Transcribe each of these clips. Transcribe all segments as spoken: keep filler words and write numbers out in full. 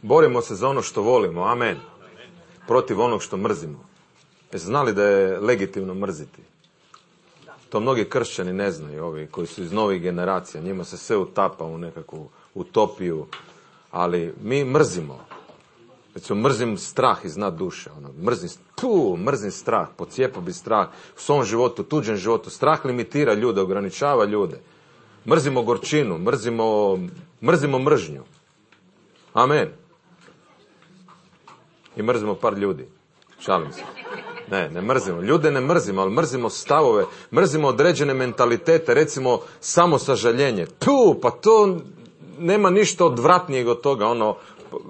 Borimo se za ono što volimo, amen. Protiv onog što mrzimo. Jeste znali da je legitimno mrziti? To mnogi kršćani ne znaju, ovi koji su iz novih generacija. Njima se sve utapa u nekakvu utopiju. Ali mi mrzimo. Recimo, mrzim strah iznad duše. Ono, mrzim, puh, mrzim strah, pocijepao bi strah u svom životu, tuđem životu. Strah limitira ljude, ograničava ljude. Mrzimo gorčinu, mrzimo, mrzimo mržnju. Amen. I mrzimo par ljudi. Šalim se. Ne, ne mrzimo. Ljude ne mrzimo, ali mrzimo stavove, mrzimo određene mentalitete, recimo samosažaljenje. Tu, pa to nema ništa odvratnijeg od toga, ono,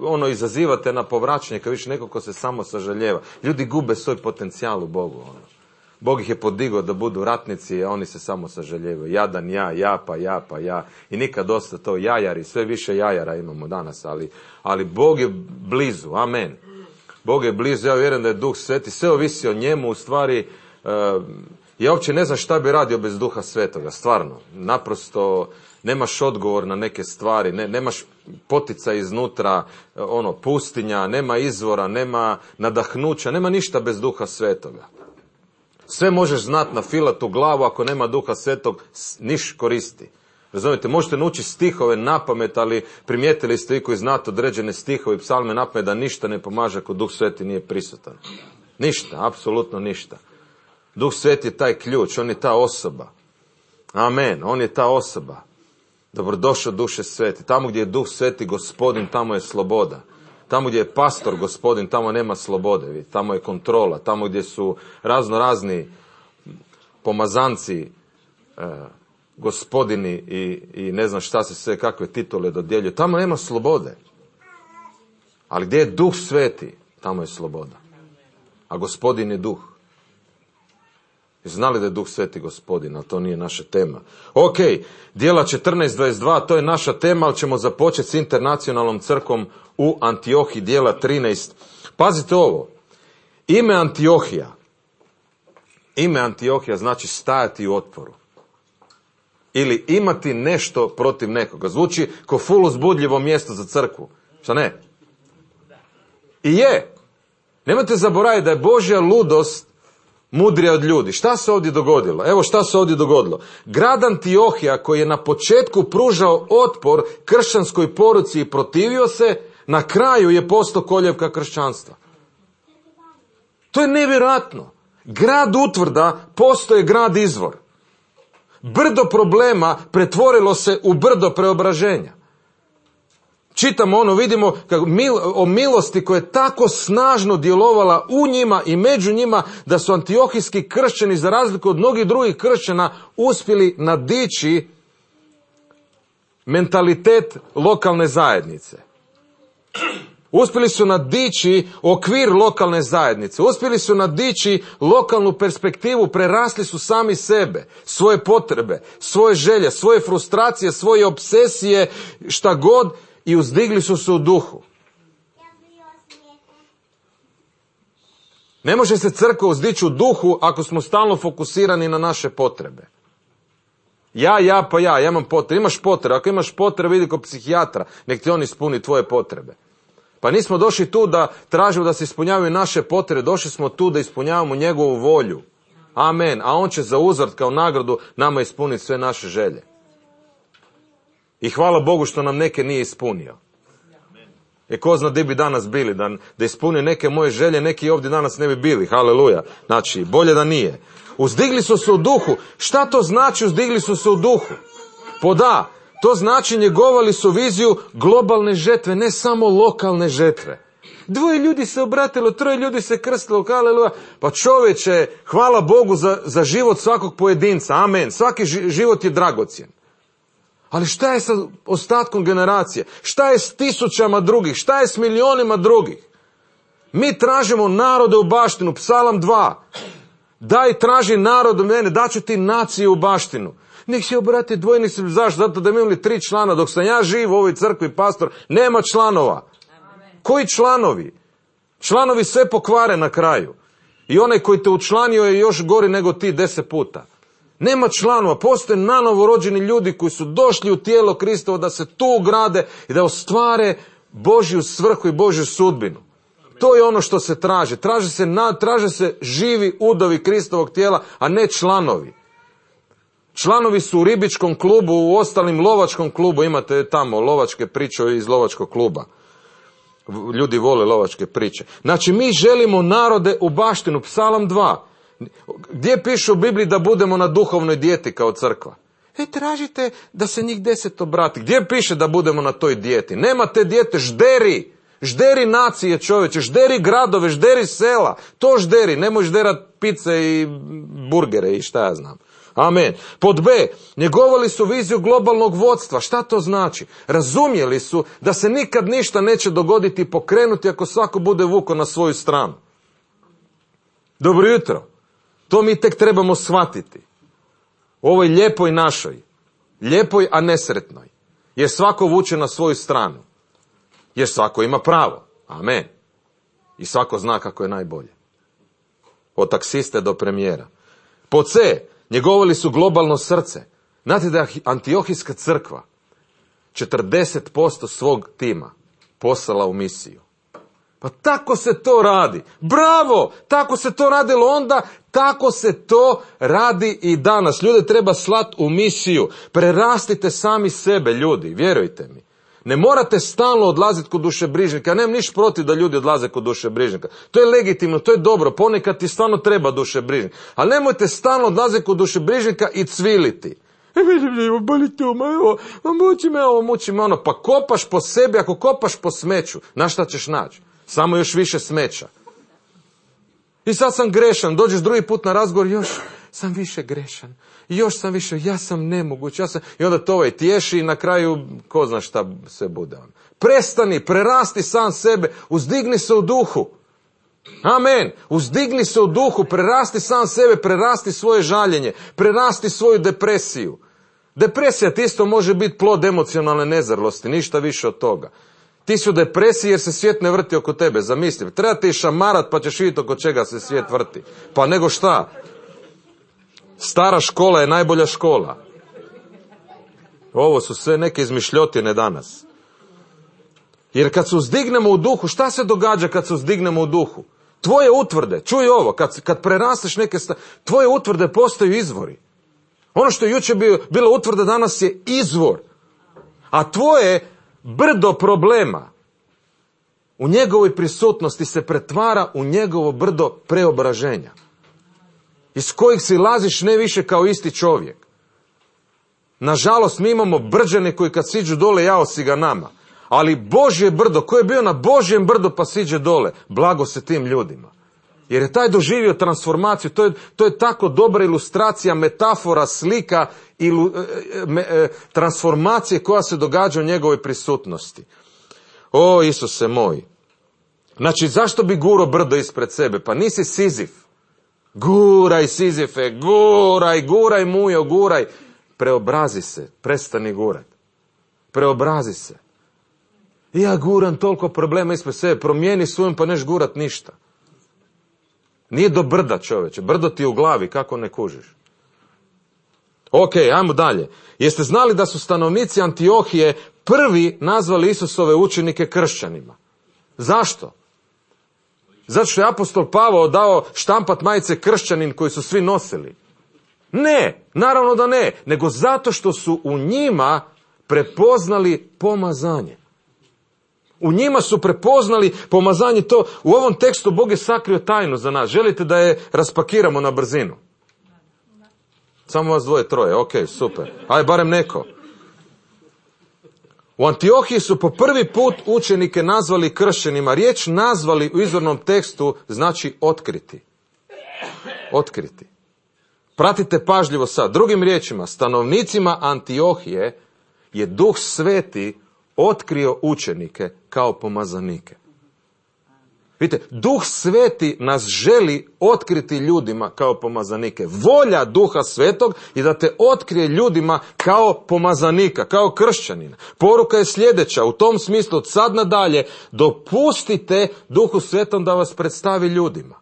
ono izazivate na povraćanje kad više neko ko se samo sažaljeva. Ljudi gube svoj potencijal u Bogu. Ono. Bog ih je podigao da budu ratnici, a oni se samo sažaljevaju. Jadan ja, ja pa ja pa ja. I nikad dosta to jajari, sve više jajara imamo danas, ali, ali Bog je blizu, amen. Bog je blizu, ja vjerujem da je Duh Sveti, sve ovisi o njemu, u stvari, uh, ja uopće ne znam šta bi radio bez Duha Svetoga, stvarno. Naprosto, nemaš odgovor na neke stvari, ne, nemaš poticaj iznutra, ono, pustinja, nema izvora, nema nadahnuća, nema ništa bez Duha Svetoga. Sve možeš znat na filatu glavu, ako nema Duha Svetog, niš koristi. Razumijete, možete naučiti stihove napamet, ali primijetili ste i koji znate određene stihove i psalme napamet da ništa ne pomaže ako Duh Sveti nije prisutan. Ništa, apsolutno ništa. Duh Sveti je taj ključ, on je ta osoba. Amen, on je ta osoba. Dobrodošao Duše Sveti. Tamo gdje je Duh Sveti Gospodin, tamo je sloboda. Tamo gdje je pastor Gospodin, tamo nema slobode. Tamo je kontrola. Tamo gdje su razno razni pomazanci, eh, gospodini i, i ne znam šta se sve, kakve titule dodjeljuju. Tamo nema slobode. Ali gdje je Duh Sveti, tamo je sloboda. A Gospodin je Duh. Znali da je Duh Sveti Gospodin, ali to nije naša tema. Ok, djela četrnaest dvadeset dva, to je naša tema, ali ćemo započeti s internacionalnom crkvom u Antiohiji, djela trinaest. Pazite ovo, ime Antiohija, ime Antiohija znači stajati u otporu. Ili imati nešto protiv nekoga. Zvuči ko ful uzbudljivo mjesto za crkvu. Šta ne? I je. Nemojte zaboraviti da je Božja ludost mudrija od ljudi. Šta se ovdje dogodilo? Evo šta se ovdje dogodilo. Grad Antiohija koji je na početku pružao otpor kršćanskoj poruci i protivio se, na kraju je postao koljevka kršćanstva. To je nevjerojatno. Grad utvrda postoje grad izvor. Brdo problema pretvorilo se u brdo preobraženja. Čitamo ono, vidimo kako mil, o milosti koja je tako snažno djelovala u njima i među njima da su antiohijski kršćani, za razliku od mnogih drugih kršćana, uspjeli nadići mentalitet lokalne zajednice. Uspjeli su nadići okvir lokalne zajednice, uspjeli su nadići lokalnu perspektivu, prerasli su sami sebe, svoje potrebe, svoje želje, svoje frustracije, svoje obsesije, šta god, i uzdigli su se u duhu. Ne može se crkva uzdići u duhu ako smo stalno fokusirani na naše potrebe. Ja, ja, pa ja, ja imam potrebe. Imaš potrebe, ako imaš potrebe, vidi kod psihijatra, nek ti on ispuni tvoje potrebe. Pa nismo došli tu da tražimo da se ispunjavaju naše potrebe, došli smo tu da ispunjavamo njegovu volju. Amen. A on će za uzvrat kao nagradu nama ispuniti sve naše želje. I hvala Bogu što nam neke nije ispunio. E ko zna gdje bi danas bili, da, da ispunio neke moje želje, neki ovdje danas ne bi bili. Haleluja. Znači, bolje da nije. Uzdigli su se u duhu. Šta to znači uzdigli su se u duhu? Poda. To znači njegovali su viziju globalne žetve, ne samo lokalne žetve. Dvoje ljudi se obratilo, troje ljudi se krstilo, haleluja. Pa čovječe, hvala Bogu za, za život svakog pojedinca, amen. Svaki život je dragocjen. Ali šta je sa ostatkom generacije? Šta je s tisućama drugih? Šta je s milionima drugih? Mi tražimo narode u baštinu, Psalam dva. Daj, traži narod u mene, daću ti nacije u baštinu. Nek se obrati dvojni se, zašto? Zato da mi imali tri člana. Dok sam ja živ u ovoj crkvi, pastor, nema članova. Amen. Koji članovi? Članovi sve pokvare na kraju. I onaj koji te učlanio je još gori nego ti deset puta. Nema članova, postoje nanovo rođeni ljudi koji su došli u tijelo Kristovo da se tu ugrade i da ostvare Božju svrhu i Božju sudbinu. To je ono što se traži. Traže se, na, traže se živi udovi Kristovog tijela, a ne članovi. Članovi su u ribičkom klubu, u ostalim lovačkom klubu. Imate tamo lovačke priče iz lovačkog kluba. Ljudi vole lovačke priče. Znači, mi želimo narode u baštinu. Psalam dva. Gdje piše u Bibliji da budemo na duhovnoj dijeti kao crkva? E, tražite da se njih deset obrati. Gdje piše da budemo na toj dijeti? Nema te dijete, žderi. Žderi nacije, čovječe, žderi gradove, žderi sela. To žderi, nemoj žderat pice i burgere i šta ja znam. Amen. Pod B, njegovali su viziju globalnog vodstva. Šta to znači? Razumjeli su da se nikad ništa neće dogoditi i pokrenuti ako svako bude vuko na svoju stranu. Dobro jutro. To mi tek trebamo shvatiti. U ovoj lijepoj našoj. Lijepoj, a nesretnoj. Jer svako vuče na svoju stranu. Jer svako ima pravo. Amen. I svako zna kako je najbolje. Od taksiste do premijera. Pod C, njegovali su globalno srce. Znate da je Antiohijska crkva četrdeset posto svog tima poslala u misiju. Pa tako se to radi. Bravo! Tako se to radilo onda, tako se to radi i danas. Ljude treba slati u misiju. Prerastite sami sebe, ljudi, vjerujte mi. Ne morate stalno odlaziti kod dušebrižnika. Ja nemam ništa protiv da ljudi odlaze kod dušebrižnika. To je legitimno, to je dobro. Ponekad ti stvarno treba dušebrižnik. Ali nemojte stalno odlaziti kod dušebrižnika i cviliti. Boli to, muči me ovo, muči me ono. Pa kopaš po sebi, ako kopaš po smeću, na šta ćeš naći? Samo još više smeća. I sad sam grešan, dođeš drugi put na razgovor, još sam više grešan. Još sam više, ja sam nemoguć, ja sam... I onda to ovaj tješi i na kraju, ko zna šta se bude. Prestani, prerasti sam sebe, uzdigni se u duhu. Amen. Uzdigni se u duhu, prerasti sam sebe, prerasti svoje žaljenje, prerasti svoju depresiju. Depresija ti isto može biti plod emocionalne nezrlosti, ništa više od toga. Ti su u depresiji jer se svijet ne vrti oko tebe, zamisli. Treba ti šamarat pa ćeš vidjeti oko čega se svijet vrti. Pa nego šta? Stara škola je najbolja škola. Ovo su sve neke izmišljotine danas. Jer kad se uzdignemo u duhu, šta se događa kad se uzdignemo u duhu? Tvoje utvrde, čuj ovo, kad, kad prerasteš neke sta... tvoje utvrde postaju izvori. Ono što je jučer bio, bilo utvrda danas je izvor. A tvoje brdo problema u njegovoj prisutnosti se pretvara u njegovo brdo preobraženja. Iz kojih si laziš ne više kao isti čovjek. Nažalost, mi imamo brđane koji kad siđu dole, jao si ga nama. Ali Božje brdo, ko je bio na Božjem brdu pa siđe dole, blago se tim ljudima. Jer je taj doživio transformaciju, to je, to je tako dobra ilustracija, metafora, slika, ilu, me, e, transformacije koja se događa u njegovoj prisutnosti. O, Isuse moj. Znači, zašto bi guro brdo ispred sebe? Pa nisi Sizif. Guraj, Sizife, guraj, guraj, mujo, guraj. Preobrazi se, prestani gurat. Preobrazi se. Ja guram toliko problema ispred sebe, promijeni svojom pa neš gurat ništa. Nije do brda, čoveče, brdo ti je u glavi, kako ne kužiš. Ok, ajmo dalje. Jeste znali da su stanovnici Antiohije prvi nazvali Isusove učenike kršćanima? Zašto? Zato što je apostol Pavao dao štampat majice kršćanin koji su svi nosili. Ne, naravno da ne, nego zato što su u njima prepoznali pomazanje. U njima su prepoznali pomazanje to. U ovom tekstu Bog je sakrio tajnu za nas. Želite da je raspakiramo na brzinu? Samo vas dvoje, troje. Ok, super. Aj, barem neko. U Antiohiji su po prvi put učenike nazvali kršćanima. Riječ nazvali u izvornom tekstu znači otkriti. Otkriti. Pratite pažljivo sad. Drugim riječima, stanovnicima Antiohije je Duh Sveti otkrio učenike kao pomazanike. Vidite, Duh Sveti nas želi otkriti ljudima kao pomazanike. Volja Duha Svetog je da te otkrije ljudima kao pomazanika, kao kršćanina. Poruka je sljedeća, u tom smislu od sad nadalje dopustite Duhu Svetom da vas predstavi ljudima.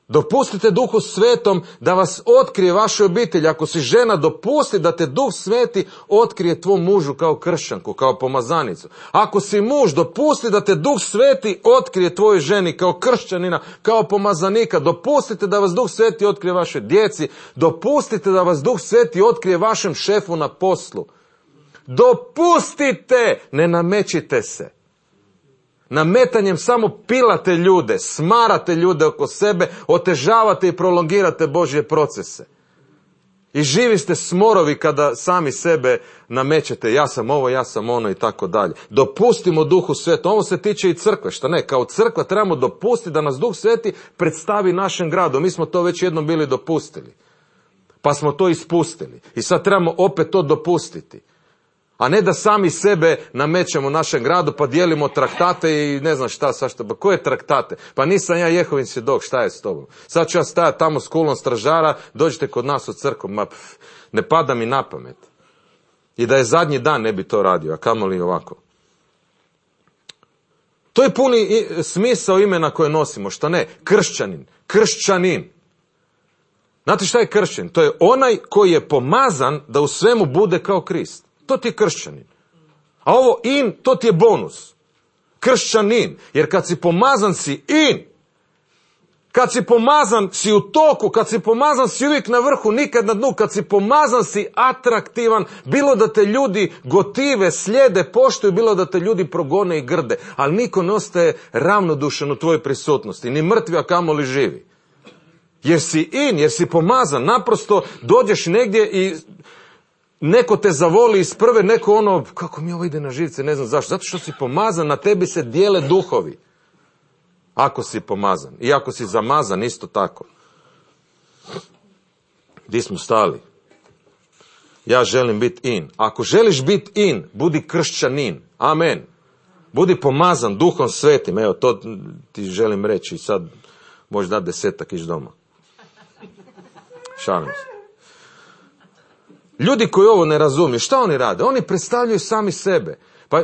Dopustite Duhu Svetom da vas otkrije vašoj obitelji. Ako si žena, dopusti da te Duh Sveti otkrije tvom mužu kao kršćanku, kao pomazanicu. Ako si muž, dopusti da te Duh Sveti otkrije tvojoj ženi kao kršćanina, kao pomazanika. Dopustite da vas Duh Sveti otkrije vašoj djeci. Dopustite da vas Duh Sveti otkrije vašem šefu na poslu. Dopustite, ne namećite se. Nametanjem samo pilate ljude, smarate ljude oko sebe, otežavate i prolongirate Božje procese. I živi ste smorovi kada sami sebe namećete, ja sam ovo, ja sam ono i tako dalje. Dopustimo Duhu Svetom, ovo se tiče i crkve, šta ne, kao crkva trebamo dopustiti da nas Duh Sveti predstavi našem gradu. Mi smo to već jednom bili dopustili, pa smo to ispustili i sad trebamo opet to dopustiti. A ne da sami sebe namećemo našem gradu pa dijelimo traktate i ne znam šta, sa šta, pa koje traktate? Pa nisam ja Jehovin svjedok, šta je s tobom? Sad ću ja stajati tamo s kulom stražara, dođite kod nas u crkvu, ma pf, ne pada mi na pamet. I da je zadnji dan ne bi to radio, a kamoli ovako. To je puni smisao imena koje nosimo, šta ne? Kršćanin, kršćanin. Znate šta je kršćanin? To je onaj koji je pomazan da u svemu bude kao Krist. To ti je kršćanin. A ovo in, to ti je bonus. Kršćanin. Jer kad si pomazan si in. Kad si pomazan si u toku. Kad si pomazan si uvijek na vrhu, nikad na dnu. Kad si pomazan si atraktivan. Bilo da te ljudi gotive, slijede, poštuju. Bilo da te ljudi progone i grde. Ali niko ne ostaje ravnodušan u tvojoj prisutnosti. Ni mrtvi, a kamoli živi. Jer si in, jer si pomazan. Naprosto dođeš negdje i neko te zavoli iz prve, neko ono, kako mi ovo ide na živce, ne znam zašto. Zato što si pomazan, na tebi se dijele duhovi. Ako si pomazan. I ako si zamazan, isto tako. Gdje smo stali? Ja želim biti in. Ako želiš biti in, budi kršćanin. Amen. Budi pomazan Duhom Svetim. Evo, to ti želim reći i sad možeš dati desetak iš doma. Šalim se. Ljudi koji ovo ne razumiju, šta oni rade? Oni predstavljaju sami sebe. Pa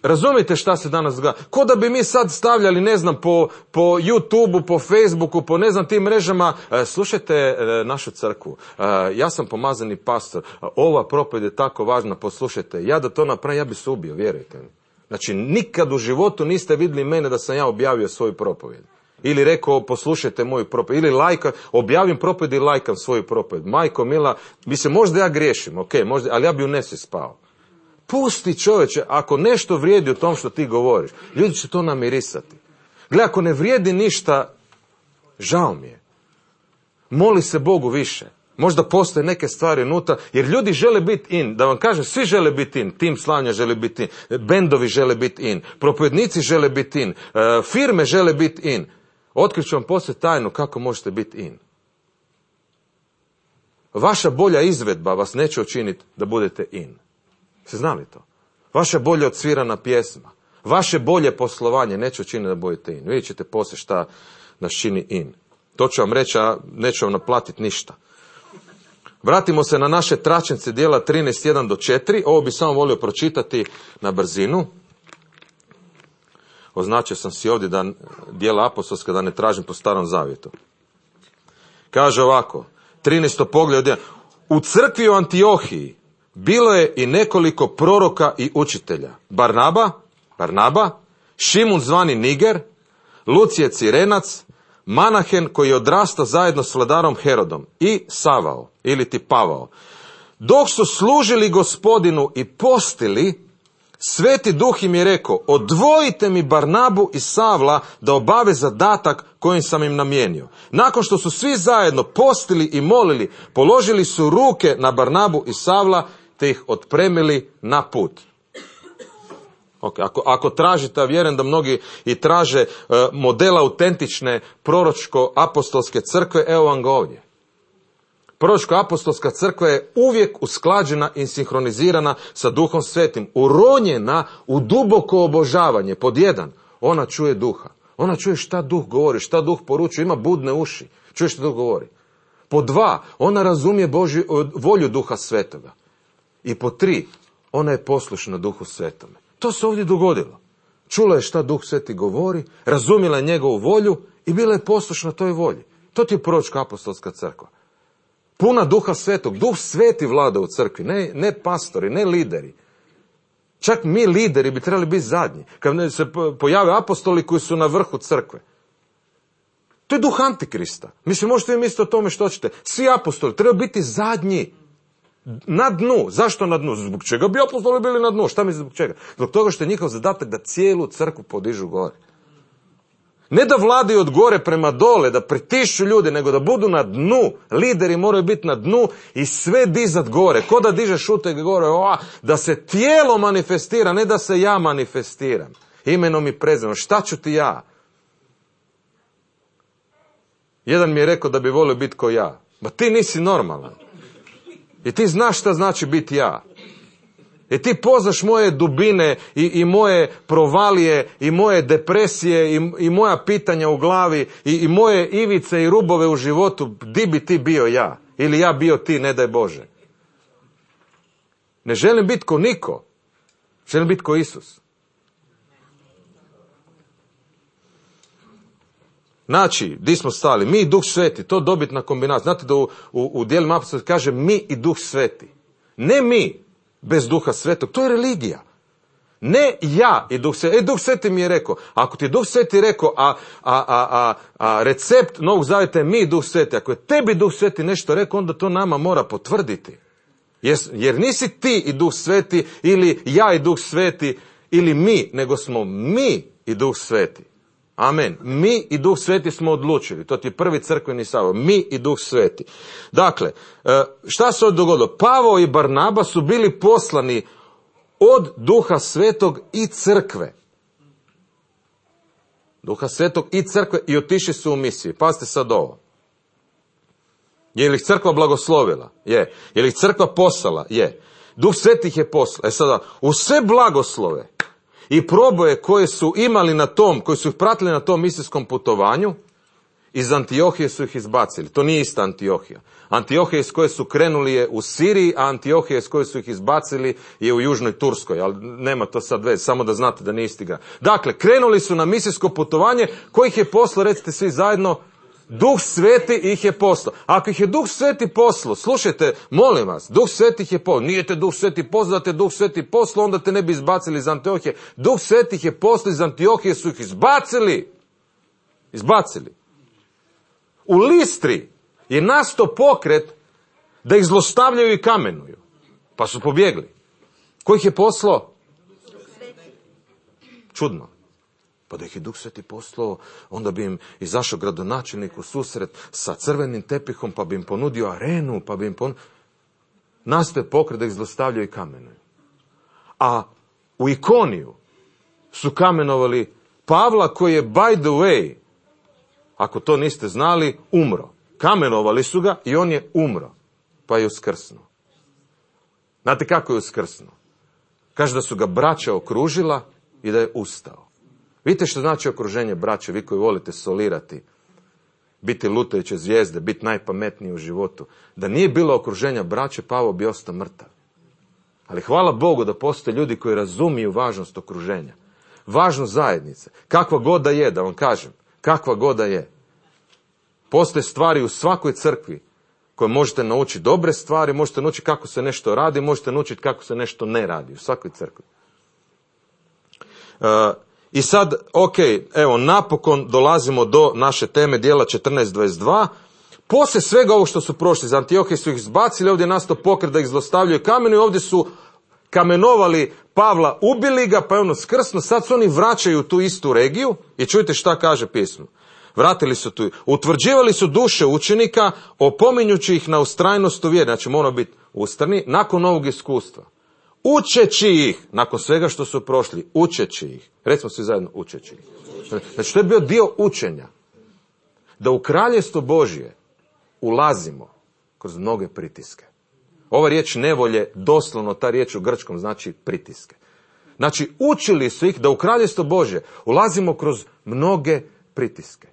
razumijete šta se danas događa? Ko da bi mi sad stavljali, ne znam, po, po YouTubeu, po Facebooku, po ne znam tim mrežama, e, slušajte e, našu crkvu, e, ja sam pomazani pastor, ova propovjed je tako važna, poslušajte, ja da to napravim, ja bi se ubio, vjerujte mi. Znači, nikad u životu niste vidjeli mene da sam ja objavio svoju propovjed. Ili rekao, poslušajte moju propovjed. Ili lajka, objavim propovjed i lajkam svoju propovjed. Majko mila, mislim, možda ja griješim, ok, možda, ali ja bi u nesvijest spao. Pusti čovječe, ako nešto vrijedi u tom što ti govoriš, ljudi će to namirisati. Gle, ako ne vrijedi ništa, žao mi je. Moli se Bogu više. Možda postoje neke stvari unutra, jer ljudi žele biti in. Da vam kažem, svi žele biti in. Tim slanja žele biti in. Bendovi žele biti in. Propovjednici žele biti in. Firme žele biti in. Otkriću vam poslije tajnu kako možete biti in. Vaša bolja izvedba vas neće učiniti da budete in. Ste znali to? Vaša bolje odsvirana pjesma, vaše bolje poslovanje neće učiniti da budete in. Vidjet ćete poslije šta nas čini in. To ću vam reći, a neću vam naplatiti ništa. Vratimo se na naše tračnice dijela trinaest, jedan do četiri. Ovo bi samo volio pročitati na brzinu. Označio sam si ovdje da dijela apostolska, da ne tražim po starom zavjetu. Kaže ovako, trinaesto poglavlje, u crkvi u Antiohiji bilo je i nekoliko proroka i učitelja. Barnaba, Barnaba, Šimun zvani Niger, Lucije Cirenac, Manahen koji je odrastao zajedno s vladarom Herodom i Savao, ili ti Pavao. Dok su služili Gospodinu i postili, Sveti Duh im je rekao, odvojite mi Barnabu i Savla da obave zadatak kojim sam im namijenio. Nakon što su svi zajedno postili i molili, položili su ruke na Barnabu i Savla, te ih otpremili na put. Okay, ako, ako tražite, a vjerujem da mnogi i traže uh, modela autentične proročko-apostolske crkve, evo vam ga ovdje. Proročko-apostolska crkva je uvijek usklađena i sinhronizirana sa Duhom Svetim, uronjena u duboko obožavanje. Pod jedan, ona čuje Duha. Ona čuje šta Duh govori, šta Duh poručuje, ima budne uši. Čuje što Duh govori. Pod dva, ona razumije Božju, volju Duha Svetoga. I pod tri, ona je poslušna Duhu Svetome. To se ovdje dogodilo. Čula je šta Duh Sveti govori, razumjela je njegovu volju i bila je poslušna toj volji. To ti je proročka apostolska crkva. Puna duha svetog. Duh sveti vlada u crkvi, ne, ne pastori, ne lideri. Čak mi lideri bi trebali biti zadnji. Kad se pojave apostoli koji su na vrhu crkve. To je duh antikrista. Mislim, možete vi misliti o tome što hoćete. Svi apostoli trebaju biti zadnji. Na dnu. Zašto na dnu? Zbog čega bi apostoli bili na dnu? Šta mi zbog čega? Zbog toga što je njihov zadatak da cijelu crkvu podižu gore. Ne da vladaju od gore prema dole, da pritišću ljude, nego da budu na dnu. Lideri moraju biti na dnu i sve dizat gore. Ko da dižeš uteg gore, o, da se tijelo manifestira, ne da se ja manifestiram. Imenom i prezimenom. Šta ću ti ja? Jedan mi je rekao da bi volio biti ko ja. Ma ti nisi normalan. I ti znaš šta znači biti ja. I ti poznaš moje dubine i, i moje provalije i moje depresije i, i moja pitanja u glavi i, i moje ivice i rubove u životu. Di bi ti bio ja? Ili ja bio ti, ne daj Bože. Ne želim biti ko niko. Želim biti ko Isus. Znači, di smo stali? Mi i Duh Sveti, to dobitna kombinacija. Znate da u, u, u dijelima apostolskih kaže mi i Duh Sveti. Ne mi bez Duha Svetog, to je religija. Ne ja i Duh Sveti. E, Duh Sveti mi je rekao, ako ti je Duh Sveti rekao, a, a, a, a, a recept Novog Zavjeta je mi i Duh Sveti, ako je tebi Duh Sveti nešto rekao, onda to nama mora potvrditi. Jer, jer nisi ti i Duh Sveti, ili ja i Duh Sveti, ili mi, nego smo mi i Duh Sveti. Amen. Mi i Duh Sveti smo odlučili. To ti je prvi crkveni sabor. Mi i Duh Sveti. Dakle, šta se ovdje dogodilo? Pavao i Barnaba su bili poslani od Duha Svetog i crkve. Duha Svetog i crkve i otišli su u misiju. Pazite sad ovo. Je li ih crkva blagoslovila? Je. Je li ih crkva poslala? Je. Duh Sveti ih je poslao. E sada, u sve blagoslove i proboje koje su imali na tom, koji su ih pratili na tom misijskom putovanju, iz Antiohije su ih izbacili. To nije ista Antiohija. Antiohija iz koje su krenuli je u Siriji, a Antiohija iz koje su ih izbacili je u južnoj Turskoj. Ali nema to sad veze, samo da znate da nije isti grad. Dakle, krenuli su na misijsko putovanje, koji ih je poslao, recite svi zajedno, Duh Sveti ih je poslao. Ako ih je Duh Sveti poslao, slušajte, molim vas, Duh Sveti ih je poslao. Nije te Duh Sveti poslao, da te Duh Sveti poslao, onda te ne bi izbacili iz Antiohije. Duh Sveti ih je poslao, iz Antiohije su ih izbacili. Izbacili. U Listri je nastao pokret da ih zlostavljaju i kamenuju. Pa su pobjegli. Ko ih je poslao? Čudno. Pa da ih je Duh Sveti poslao, onda bi im izašao gradonačelnik u susret sa crvenim tepihom, pa bi im ponudio arenu, pa bi im ponudio... Nastoje pokret da ih zlostavljaju i kamenuju. A u Ikoniju su kamenovali Pavla, koji je, by the way, ako to niste znali, umro. Kamenovali su ga i on je umro, pa je uskrsnuo. Znate kako je uskrsnuo? Kaže da su ga braća okružila i da je ustao. Vidite što znači okruženje braće, vi koji volite solirati, biti lutajuće zvijezde, biti najpametniji u životu. Da nije bilo okruženja braće, Pavao bi ostao mrtav. Ali hvala Bogu da postoje ljudi koji razumiju važnost okruženja. Važnost zajednice. Kakva god da je, da vam kažem. Kakva god da je. Postoje stvari u svakoj crkvi koje možete naučiti. Dobre stvari, možete naučiti kako se nešto radi, možete naučiti kako se nešto ne radi. U svakoj crkvi. Uh, I sad, ok, evo, napokon dolazimo do naše teme dijela četrnaest dvadeset dva. Poslije svega ovo što su prošli, iz Antiohije su ih izbacili, ovdje je nastao pokret da ih zlostavljaju kamenu i ovdje su kamenovali Pavla, ubili ga, pa je ono skrsno, sad se oni vraćaju u tu istu regiju i čujte šta kaže pismo. Vratili su tu, utvrđivali su duše učenika, opominjući ih na ustrajnost u vjeri, znači moramo biti ustrani, nakon ovog iskustva. Učeći ih, nakon svega što su prošli, učeći ih. Recimo svi zajedno, učeći ih. Znači, to je bio dio učenja. Da u kraljestvo Božje ulazimo kroz mnoge pritiske. Ova riječ nevolje, doslovno ta riječ u grčkom znači pritiske. Znači, učili su ih da u kraljestvo Božje ulazimo kroz mnoge pritiske.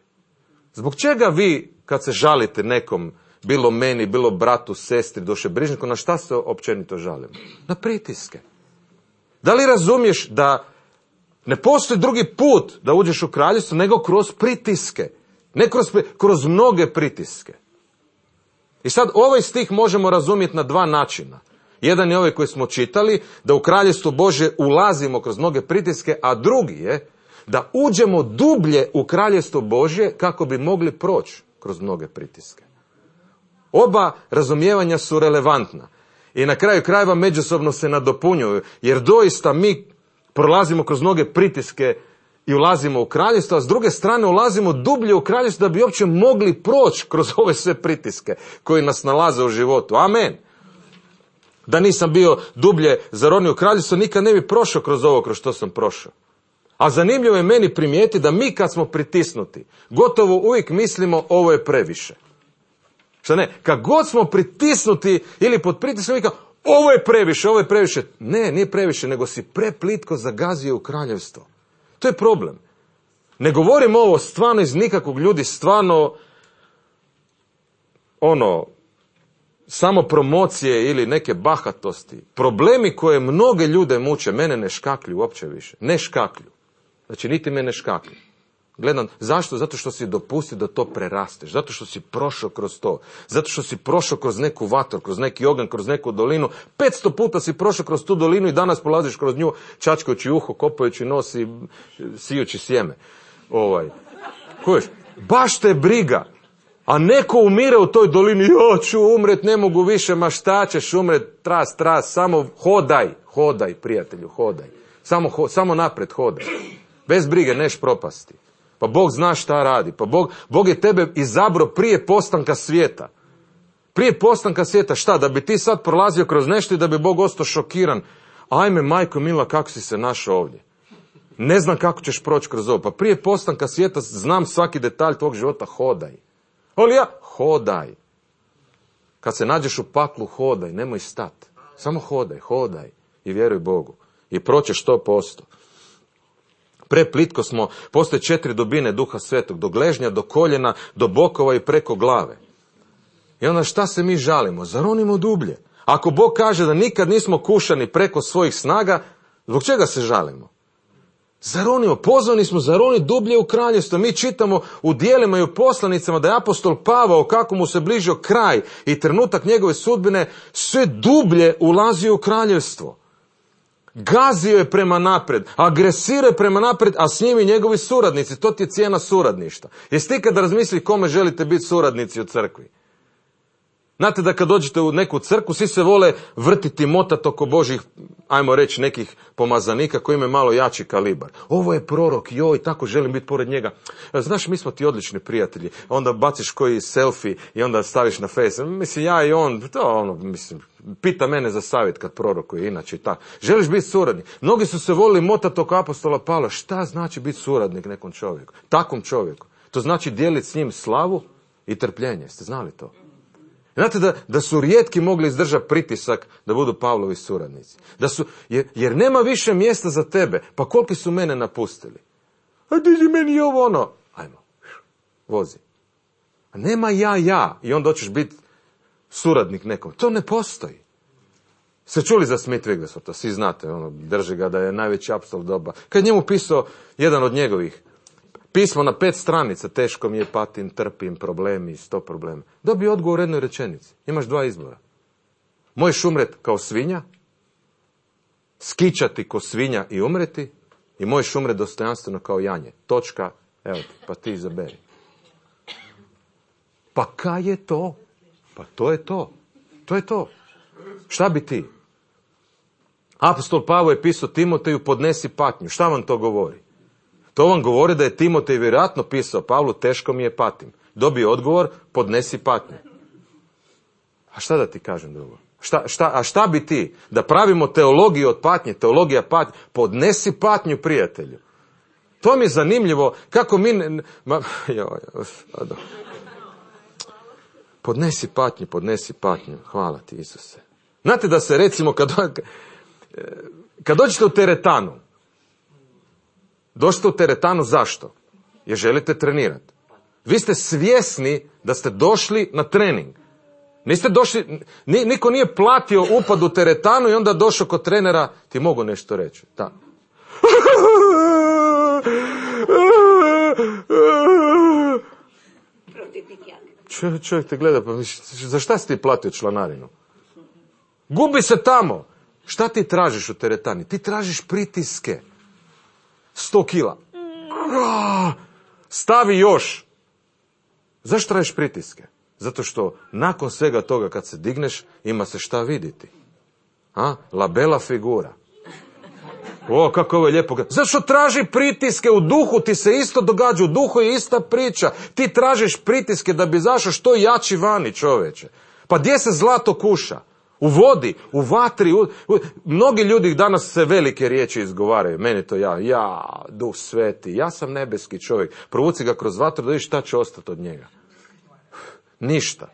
Zbog čega vi, kad se žalite nekom, bilo meni, bilo bratu, sestri, dušebrižniku, na šta se općenito žalimo? Na pritiske. Da li razumiješ da ne postoji drugi put da uđeš u kraljestvo nego kroz pritiske? Ne kroz, kroz mnoge pritiske. I sad ovaj stih možemo razumjeti na dva načina. Jedan je ovaj koji smo čitali, da u kraljevstvo Božje ulazimo kroz mnoge pritiske, a drugi je da uđemo dublje u kraljevstvo Božje kako bi mogli proći kroz mnoge pritiske. Oba razumijevanja su relevantna i na kraju krajeva međusobno se nadopunjuju, jer doista mi prolazimo kroz mnoge pritiske i ulazimo u kraljevstvo, a s druge strane ulazimo dublje u kraljevstvo da bi uopće mogli proći kroz ove sve pritiske koji nas nalaze u životu. Amen. Da nisam bio dublje zaronio u kraljevstvo, nikad ne bi prošao kroz ovo kroz što sam prošao. A zanimljivo je meni primijeti da mi kad smo pritisnuti, gotovo uvijek mislimo ovo je previše. Šta ne? Kad god smo pritisnuti ili pod pritiskom, mi kao, ovo je previše, ovo je previše. Ne, nije previše, nego si preplitko zagazio u kraljevstvo. To je problem. Ne govorim ovo stvarno iz nikakvog, ljudi, stvarno ono, samo promocije ili neke bahatosti. Problemi koje mnoge ljude muče, mene ne škaklju uopće više. Ne škaklju. Znači, niti me ne škaklju. Gledam, zašto? Zato što si dopusti da to prerasteš. Zato što si prošao kroz to. Zato što si prošao kroz neku vatru, kroz neki oganj, kroz neku dolinu. petsto puta si prošao kroz tu dolinu i danas prolaziš kroz nju, čačkajući uho, kopajući nos i sijući sjeme. Ovaj. Kojiš? Baš te briga. A neko umire u toj dolini, ja ću umret, ne mogu više, ma šta ćeš umret, tras, tras, samo hodaj, hodaj, prijatelju, hodaj. Samo, ho, samo napred hodaj. Bez brige, neš propasti. Pa Bog zna šta radi. Pa Bog, Bog je tebe izabrao prije postanka svijeta. Prije postanka svijeta šta? Da bi ti sad prolazio kroz nešto i da bi Bog ostao šokiran. Ajme, majko mila, kako si se našao ovdje? Ne znam kako ćeš proći kroz ovo. Pa prije postanka svijeta znam svaki detalj tvog života, hodaj. Ali ja, hodaj. Kad se nađeš u paklu, hodaj, nemoj stati. Samo hodaj, hodaj i vjeruj Bogu. I proćeš sto posto. Preplitko smo, postoje četiri dubine Duha Svetog, do gležnja, do koljena, do bokova i preko glave. I onda šta se mi žalimo? Zaronimo dublje. Ako Bog kaže da nikad nismo kušani preko svojih snaga, zbog čega se žalimo? Zaronimo, pozvani smo zaroni dublje u kraljevstvo. Mi čitamo u dijelima i u poslanicama da je apostol Pavao, kako mu se bližio kraj i trenutak njegove sudbine, sve dublje ulazio u kraljevstvo. Gazio je prema napred, agresirao je prema napred, a s njim i njegovi suradnici. To ti je cijena suradništva. Jeste ikad razmislili kome želite biti suradnici u crkvi? Znate da kad dođete u neku crkvu, svi se vole vrtiti, motati oko Božih, ajmo reći, nekih pomazanika koji imaju malo jači kalibar. Ovo je prorok, joj, tako želim biti pored njega. Znaš, mi smo ti odlični prijatelji. Onda baciš koji selfie i onda staviš na face. Mislim, ja i on, to ono, mislim, pita mene za savjet kad prorokuje, inače i tako. Želiš biti suradnik? Mnogi su se volili motati oko apostola Pavla. Šta znači biti suradnik nekom čovjeku? Takvom čovjeku. To znači dijeliti s njim slavu i trpljenje. Ste znali to? Znate da, da su rijetki mogli izdržati pritisak da budu Pavlovi suradnici. Da su, jer, jer nema više mjesta za tebe. Pa koliki su mene napustili? A ti si meni ovo ono. Ajmo, vozi. A nema ja, ja. I onda hoćeš biti suradnik nekom. To ne postoji. Se čuli za Smith Wiggleswortha? Svi znate, ono, drži ga da je najveći apostol doba. Kad njemu pisao jedan od njegovih pismo na pet stranica, teško mi je, patim, trpim, problemi, sto problema. Dobio odgovor u jednoj rečenici. Imaš dva izbora. Možeš umret kao svinja, skičati ko svinja i umreti, i možeš umret dostojanstveno kao janje. Točka, evo ti, pa ti izaberi. Pa kaj je to? Pa to je to. To je to. Šta bi ti? Apostol Pavao je pisao Timoteju, podnesi patnju. Šta vam to govori? To vam govori da je Timotej vjerojatno pisao Pavlu, teško mi je, patim. Dobio odgovor, podnesi patnju. A šta da ti kažem drugo? Šta, šta, a šta bi ti? Da pravimo teologiju od patnje, teologija patnje, podnesi patnju, prijatelju. To mi je zanimljivo, kako mi... Ne, ma, joj, podnesi patnju, podnesi patnju, hvala ti Isuse. Znate da se recimo, kad, kad dođete u teretanu, došli u teretanu zašto? Jer želite trenirati. Vi ste svjesni da ste došli na trening. Niste došli, niko nije platio upad u teretanu i onda došao kod trenera, ti mogu nešto reći. Da. Čovjek, čovjek te gleda, pa za šta si ti platio članarinu? Gubi se tamo. Šta ti tražiš u teretani? Ti tražiš pritiske. Sto kila. Stavi još. Zašto tražiš pritiske? Zato što nakon svega toga kad se digneš, ima se šta vidjeti. A? La bella figura. O, kako ovo je lijepo. Zašto traži pritiske u duhu? Ti se isto događa, u duhu je ista priča. Ti tražiš pritiske da bi izašao što jači vani, čoveče. Pa gdje se zlato kuša? U vodi, u vatri. U... Mnogi ljudi danas se velike riječi izgovaraju. Meni to ja, ja, duh sveti, ja sam nebeski čovjek. Provuci ga kroz vatru da vidiš šta će ostati od njega. Ništa.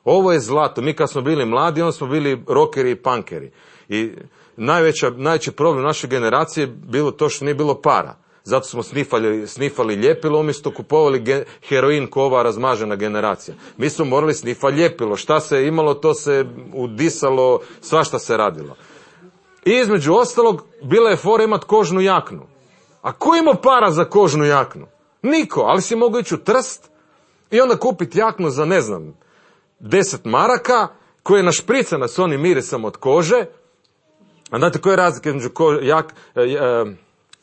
Ovo je zlato. Mi kad smo bili mladi, onda smo bili rokeri i punkeri. I najveća, najveći problem naše generacije bilo to što nije bilo para. Zato smo snifali, snifali ljepilo, umjesto kupovali ge, heroin ko ova razmažena generacija. Mi smo morali snifati ljepilo. Šta se imalo, to se udisalo, svašta se radilo. I između ostalog, bila je fora imat kožnu jaknu. A ko ima para za kožnu jaknu? Niko, ali si mogao ići u Trst i onda kupiti jaknu za, ne znam, deset maraka, koja je našpricana s onim mirisom od kože. A znate koja je razlika između ko, jak, e, e,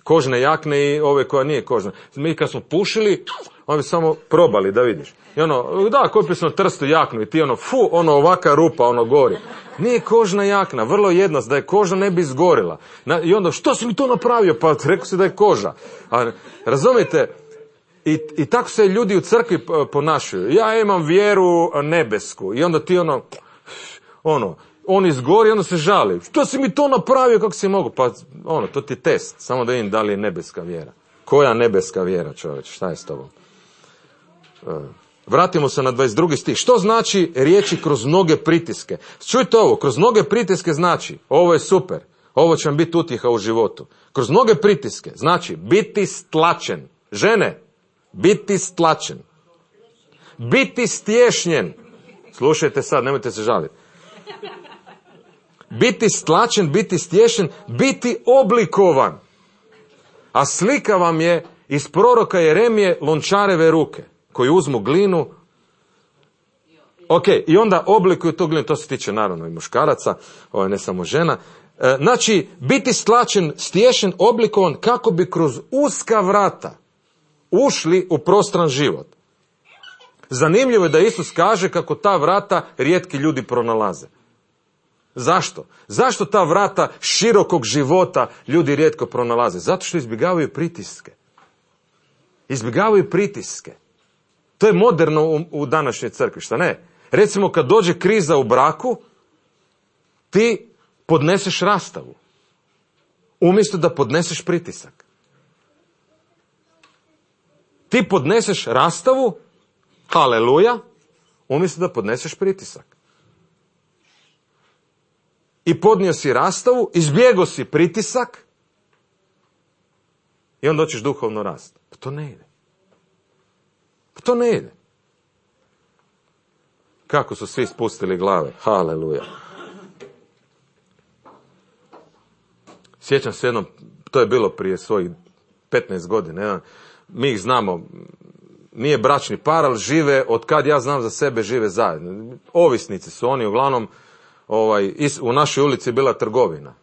kožne jakne i ove koja nije kožna? Mi kad smo pušili, oni bi samo probali da vidiš. I ono, da, kupio sam Trstu jaknu i ti ono, fu, ono ovaka rupa, ono gori. Nije kožna jakna, vrlo jednostavno, da je kožna ne bi izgorila. Na, I onda, što si mi to napravio? Pa rekao si da je koža. A, razumijete? I, I tako se ljudi u crkvi ponašaju. Ja imam vjeru nebesku. I onda ti ono, ono, on izgori i onda se žali. Što si mi to napravio, kako si mogu? Pa ono, to ti je test. Samo da vidim da li je nebeska vjera. Koja nebeska vjera, čovječ? Šta je s tobom? Vratimo se na dvadeset drugi stih. Što znači riječi kroz mnoge pritiske? Čujte ovo, kroz mnoge pritiske znači, ovo je super, ovo će vam biti utjeha u životu. Kroz mnoge pritiske znači biti stlačen. Žene, biti stlačen. Biti stješnjen. Slušajte sad, nemojte se žaliti. Biti stlačen, biti stješen, biti oblikovan. A slika vam je iz proroka Jeremije lončareve ruke, koji uzmu glinu. Ok, i onda oblikuju tu glinu, to se tiče naravno i muškaraca, ovo je ne samo žena. E, znači, biti stlačen, stješen, oblikovan kako bi kroz uska vrata ušli u prostran život. Zanimljivo je da Isus kaže kako ta vrata rijetki ljudi pronalaze. Zašto? Zašto ta vrata širokog života ljudi rijetko pronalaze? Zato što izbjegavaju pritiske. Izbjegavaju pritiske. To je moderno u, u današnjoj crkvi, šta ne? Recimo kad dođe kriza u braku, ti podneseš rastavu. Umjesto da podneseš pritisak. Ti podneseš rastavu, haleluja, umjesto da podneseš pritisak. I podnio si rastavu, izbjegao si pritisak i onda hoćeš duhovno rast. Pa to ne ide. Pa to ne ide. Kako su svi spustili glave. Haleluja. Sjećam se jednom, to je bilo prije svojih petnaest godina. Mi ih znamo, nije bračni par, ali žive, od kad ja znam za sebe, žive zajedno. Ovisnici su oni, uglavnom, ovaj, u našoj ulici je bila trgovina.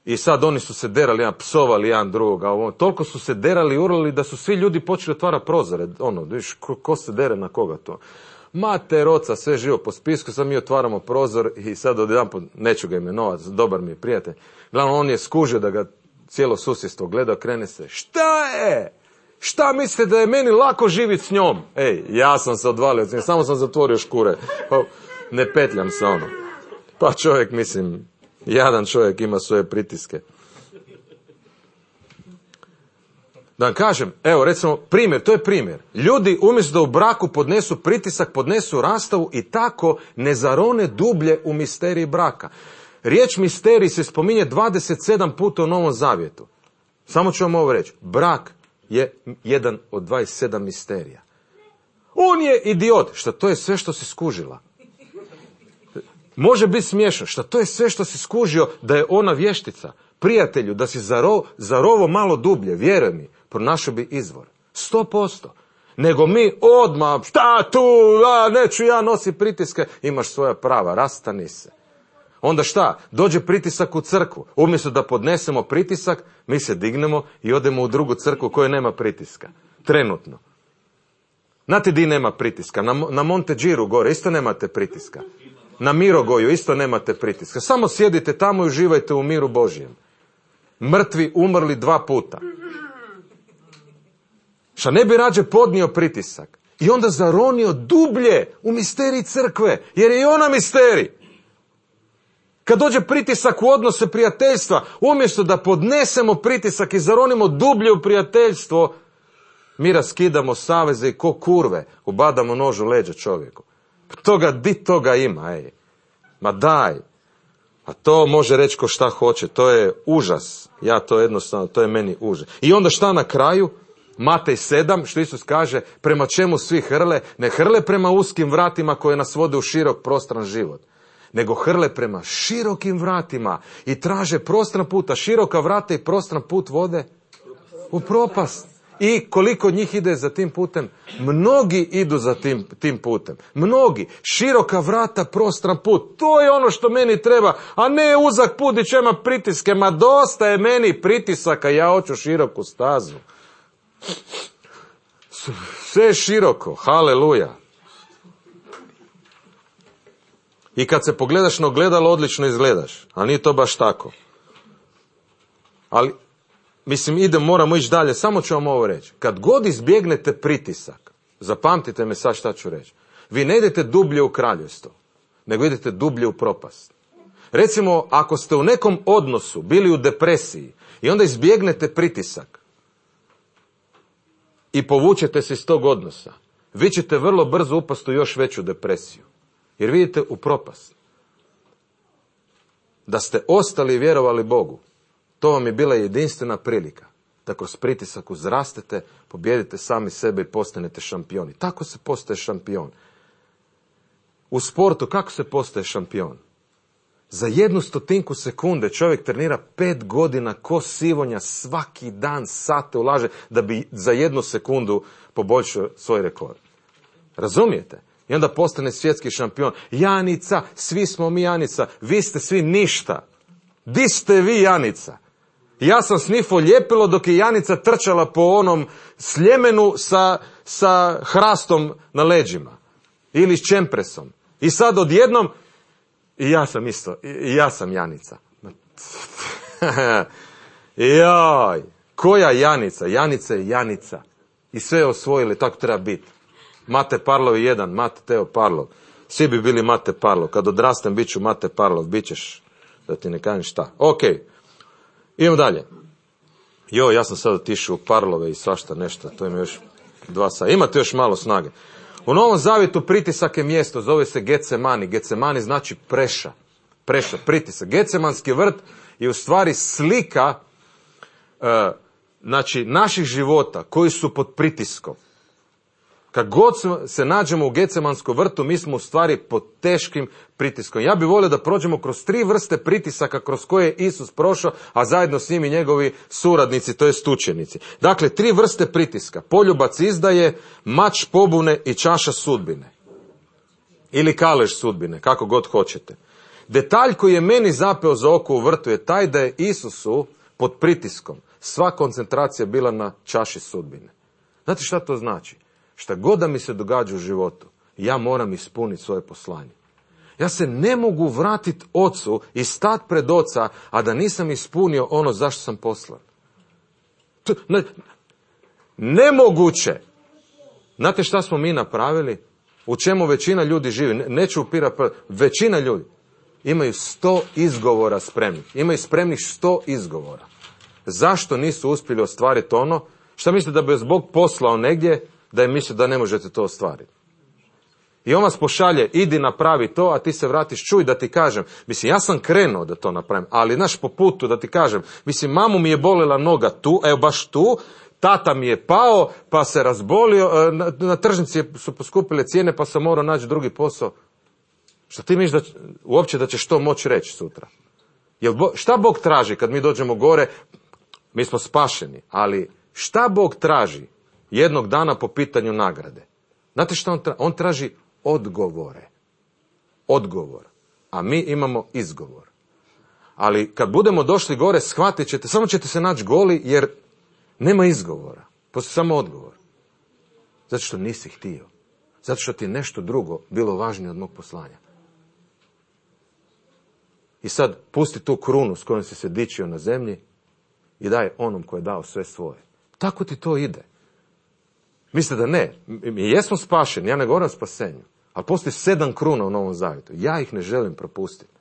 I sad oni su se derali, jedan, psovali jedan drugoga. Ovo, toliko su se derali i urlali da su svi ljudi počeli otvarati prozore. Ono, viš, ko, ko se dere na koga to? Mater, oca, sve živo po spisku, sad mi otvaramo prozor i sad odjedanput, neću ga imenovati, dobar mi je prijatelj. Glavno, on je skužio da ga cijelo susjedstvo gleda, krene se. Šta je? Šta mislite da je meni lako živjeti s njom? Ej, ja sam se odvalio, samo sam zatvorio škure. Ne petljam se ono. Pa čovjek, mislim, jadan čovjek ima svoje pritiske. Da vam kažem, evo recimo primjer, to je primjer. Ljudi umjesto da u braku podnesu pritisak, podnesu rastavu i tako ne zarone dublje u misteriji braka. Riječ misterij se spominje dvadeset sedam puta u Novom Zavjetu. Samo ću vam ovo reći. Brak je jedan od dvadeset sedam misterija. On je idiot. Šta to je sve što si skužila? Može biti smiješno. Šta to je sve što si skužio da je ona vještica? Prijatelju, da si zaro, zarovo malo dublje, vjeruj mi, pronašao bi izvor. Sto posto. Nego mi odmah, šta tu, a, neću ja nosi pritiske, imaš svoja prava, rastani se. Onda šta? Dođe pritisak u crkvu. Umjesto da podnesemo pritisak, mi se dignemo i odemo u drugu crkvu koja nema pritiska. Trenutno. Znate di nema pritiska? Na, na Monte Giro gore isto nemate pritiska. Na Mirogoju isto nemate pritiska. Samo sjedite tamo i uživajte u miru Božjem. Mrtvi umrli dva puta. Šta ne bi rađe podnio pritisak i onda zaronio dublje u misterij crkve, jer je i ona misterij. Kad dođe pritisak u odnose prijateljstva, umjesto da podnesemo pritisak i zaronimo dublje u prijateljstvo, mi raskidamo saveze i ko kurve ubadamo nož u leđa čovjeku. Toga, di toga ima, ej. Ma daj. A to može reći ko šta hoće, to je užas. Ja to jednostavno, to je meni užas. I onda šta na kraju? Matej sedam, što Isus kaže, prema čemu svi hrle? Ne hrle prema uskim vratima koje nas vode u širok prostran život, nego hrle prema širokim vratima i traže prostran put, a široka vrata i prostran put vode u propast. I koliko njih ide za tim putem? Mnogi idu za tim, tim putem. Mnogi. Široka vrata, prostran put. To je ono što meni treba, a ne uzak put i čema pritiske. Ma dosta je meni pritisaka, ja hoću široku stazu. Sve je široko, haleluja. I kad se pogledaš na ogledalo, odlično izgledaš, a nije to baš tako. Ali, mislim, ide, moramo ići dalje, samo ću vam ovo reći. Kad god izbjegnete pritisak, zapamtite me sad šta ću reći, vi ne idete dublje u kraljevstvo, nego idete dublje u propast. Recimo, ako ste u nekom odnosu bili u depresiji i onda izbjegnete pritisak i povučete se iz tog odnosa, vi ćete vrlo brzo upasti u još veću depresiju. Jer vidite u propast. Da ste ostali i vjerovali Bogu, to vam je bila jedinstvena prilika da kroz pritisak uzrastete, pobjedite sami sebe i postanete šampioni. Tako se postaje šampion. U sportu kako se postaje šampion? Za jednu stotinku sekunde čovjek trenira pet godina ko sivonja, svaki dan sate ulaže da bi za jednu sekundu poboljšao svoj rekord. Razumijete? I onda postane svjetski šampion. Janica, svi smo mi Janica, vi ste svi ništa. Di ste vi Janica? Ja sam snifo ljepilo dok je Janica trčala po onom sljemenu sa, sa hrastom na leđima. Ili s čempresom. I sad odjednom, i ja sam isto, i ja sam Janica. Joj, koja Janica? Janica je Janica. I sve osvojili, tako treba biti. Mate Parlov je jedan, Mate Teo Parlov. Svi bi bili Mate Parlov. Kad odrastem, bit ću Mate Parlov. Bićeš, da ti ne kažem šta. Ok, idemo dalje. Jo, ja sam sad otišao u Parlove i svašta nešto. To ima još dva sata. Imate još malo snage. U Novom Zavjetu pritisak je mjesto. Zove se Getsemani. Getsemani znači preša. Preša, pritisak. Getsemanski vrt je u stvari slika uh, znači, naših života koji su pod pritiskom. Kad god se nađemo u Getsemanskom vrtu, mi smo u stvari pod teškim pritiskom. Ja bih volio da prođemo kroz tri vrste pritisaka kroz koje je Isus prošao, a zajedno s njim i njegovi suradnici, to jest učenici. Dakle, tri vrste pritiska. Poljubac izdaje, mač pobune i čaša sudbine. Ili kalež sudbine, kako god hoćete. Detalj koji je meni zapeo za oko u vrtu je taj da je Isusu pod pritiskom sva koncentracija bila na čaši sudbine. Znate šta to znači? Šta god da mi se događa u životu, ja moram ispuniti svoje poslanje. Ja se ne mogu vratiti ocu i stati pred oca, a da nisam ispunio ono zašto sam poslan. To, ne, nemoguće. Znate šta smo mi napravili? U čemu većina ljudi živi? Ne, neću upirati, većina ljudi imaju sto izgovora spremnih. Imaju spremnih sto izgovora. Zašto nisu uspjeli ostvariti ono? Šta mislite da bi vas Bog poslao negdje da je mislio da ne možete to ostvariti? I on vas pošalje, idi napravi to, a ti se vratiš, čuj da ti kažem. Mislim, ja sam krenuo da to napravim, ali znaš, po putu da ti kažem, mislim, mamu mi je bolela noga tu, evo baš tu, tata mi je pao, pa se razbolio, na, na tržnici su poskupile cijene, pa sam morao naći drugi posao. Šta ti misliš da, uopće da ćeš to moći reći sutra? Jel, šta Bog traži kad mi dođemo gore? Mi smo spašeni, ali šta Bog traži? jednog dana po pitanju nagrade. Znate što on traži? On traži odgovore. Odgovor. A mi imamo izgovor. Ali kad budemo došli gore, shvatit ćete, samo ćete se naći goli, jer nema izgovora. Postoji samo odgovor. Zato što nisi htio. Zato što ti nešto drugo bilo važnije od mog poslanja. I sad pusti tu krunu s kojom si se dičio na zemlji i daj onom koji je dao sve svoje. Tako ti to ide. Mislite da ne. Mi jesmo spašeni, ja ne govorim o spasenju. Ali postoji sedam kruna u Novom Zavjetu. Ja ih ne želim propustiti.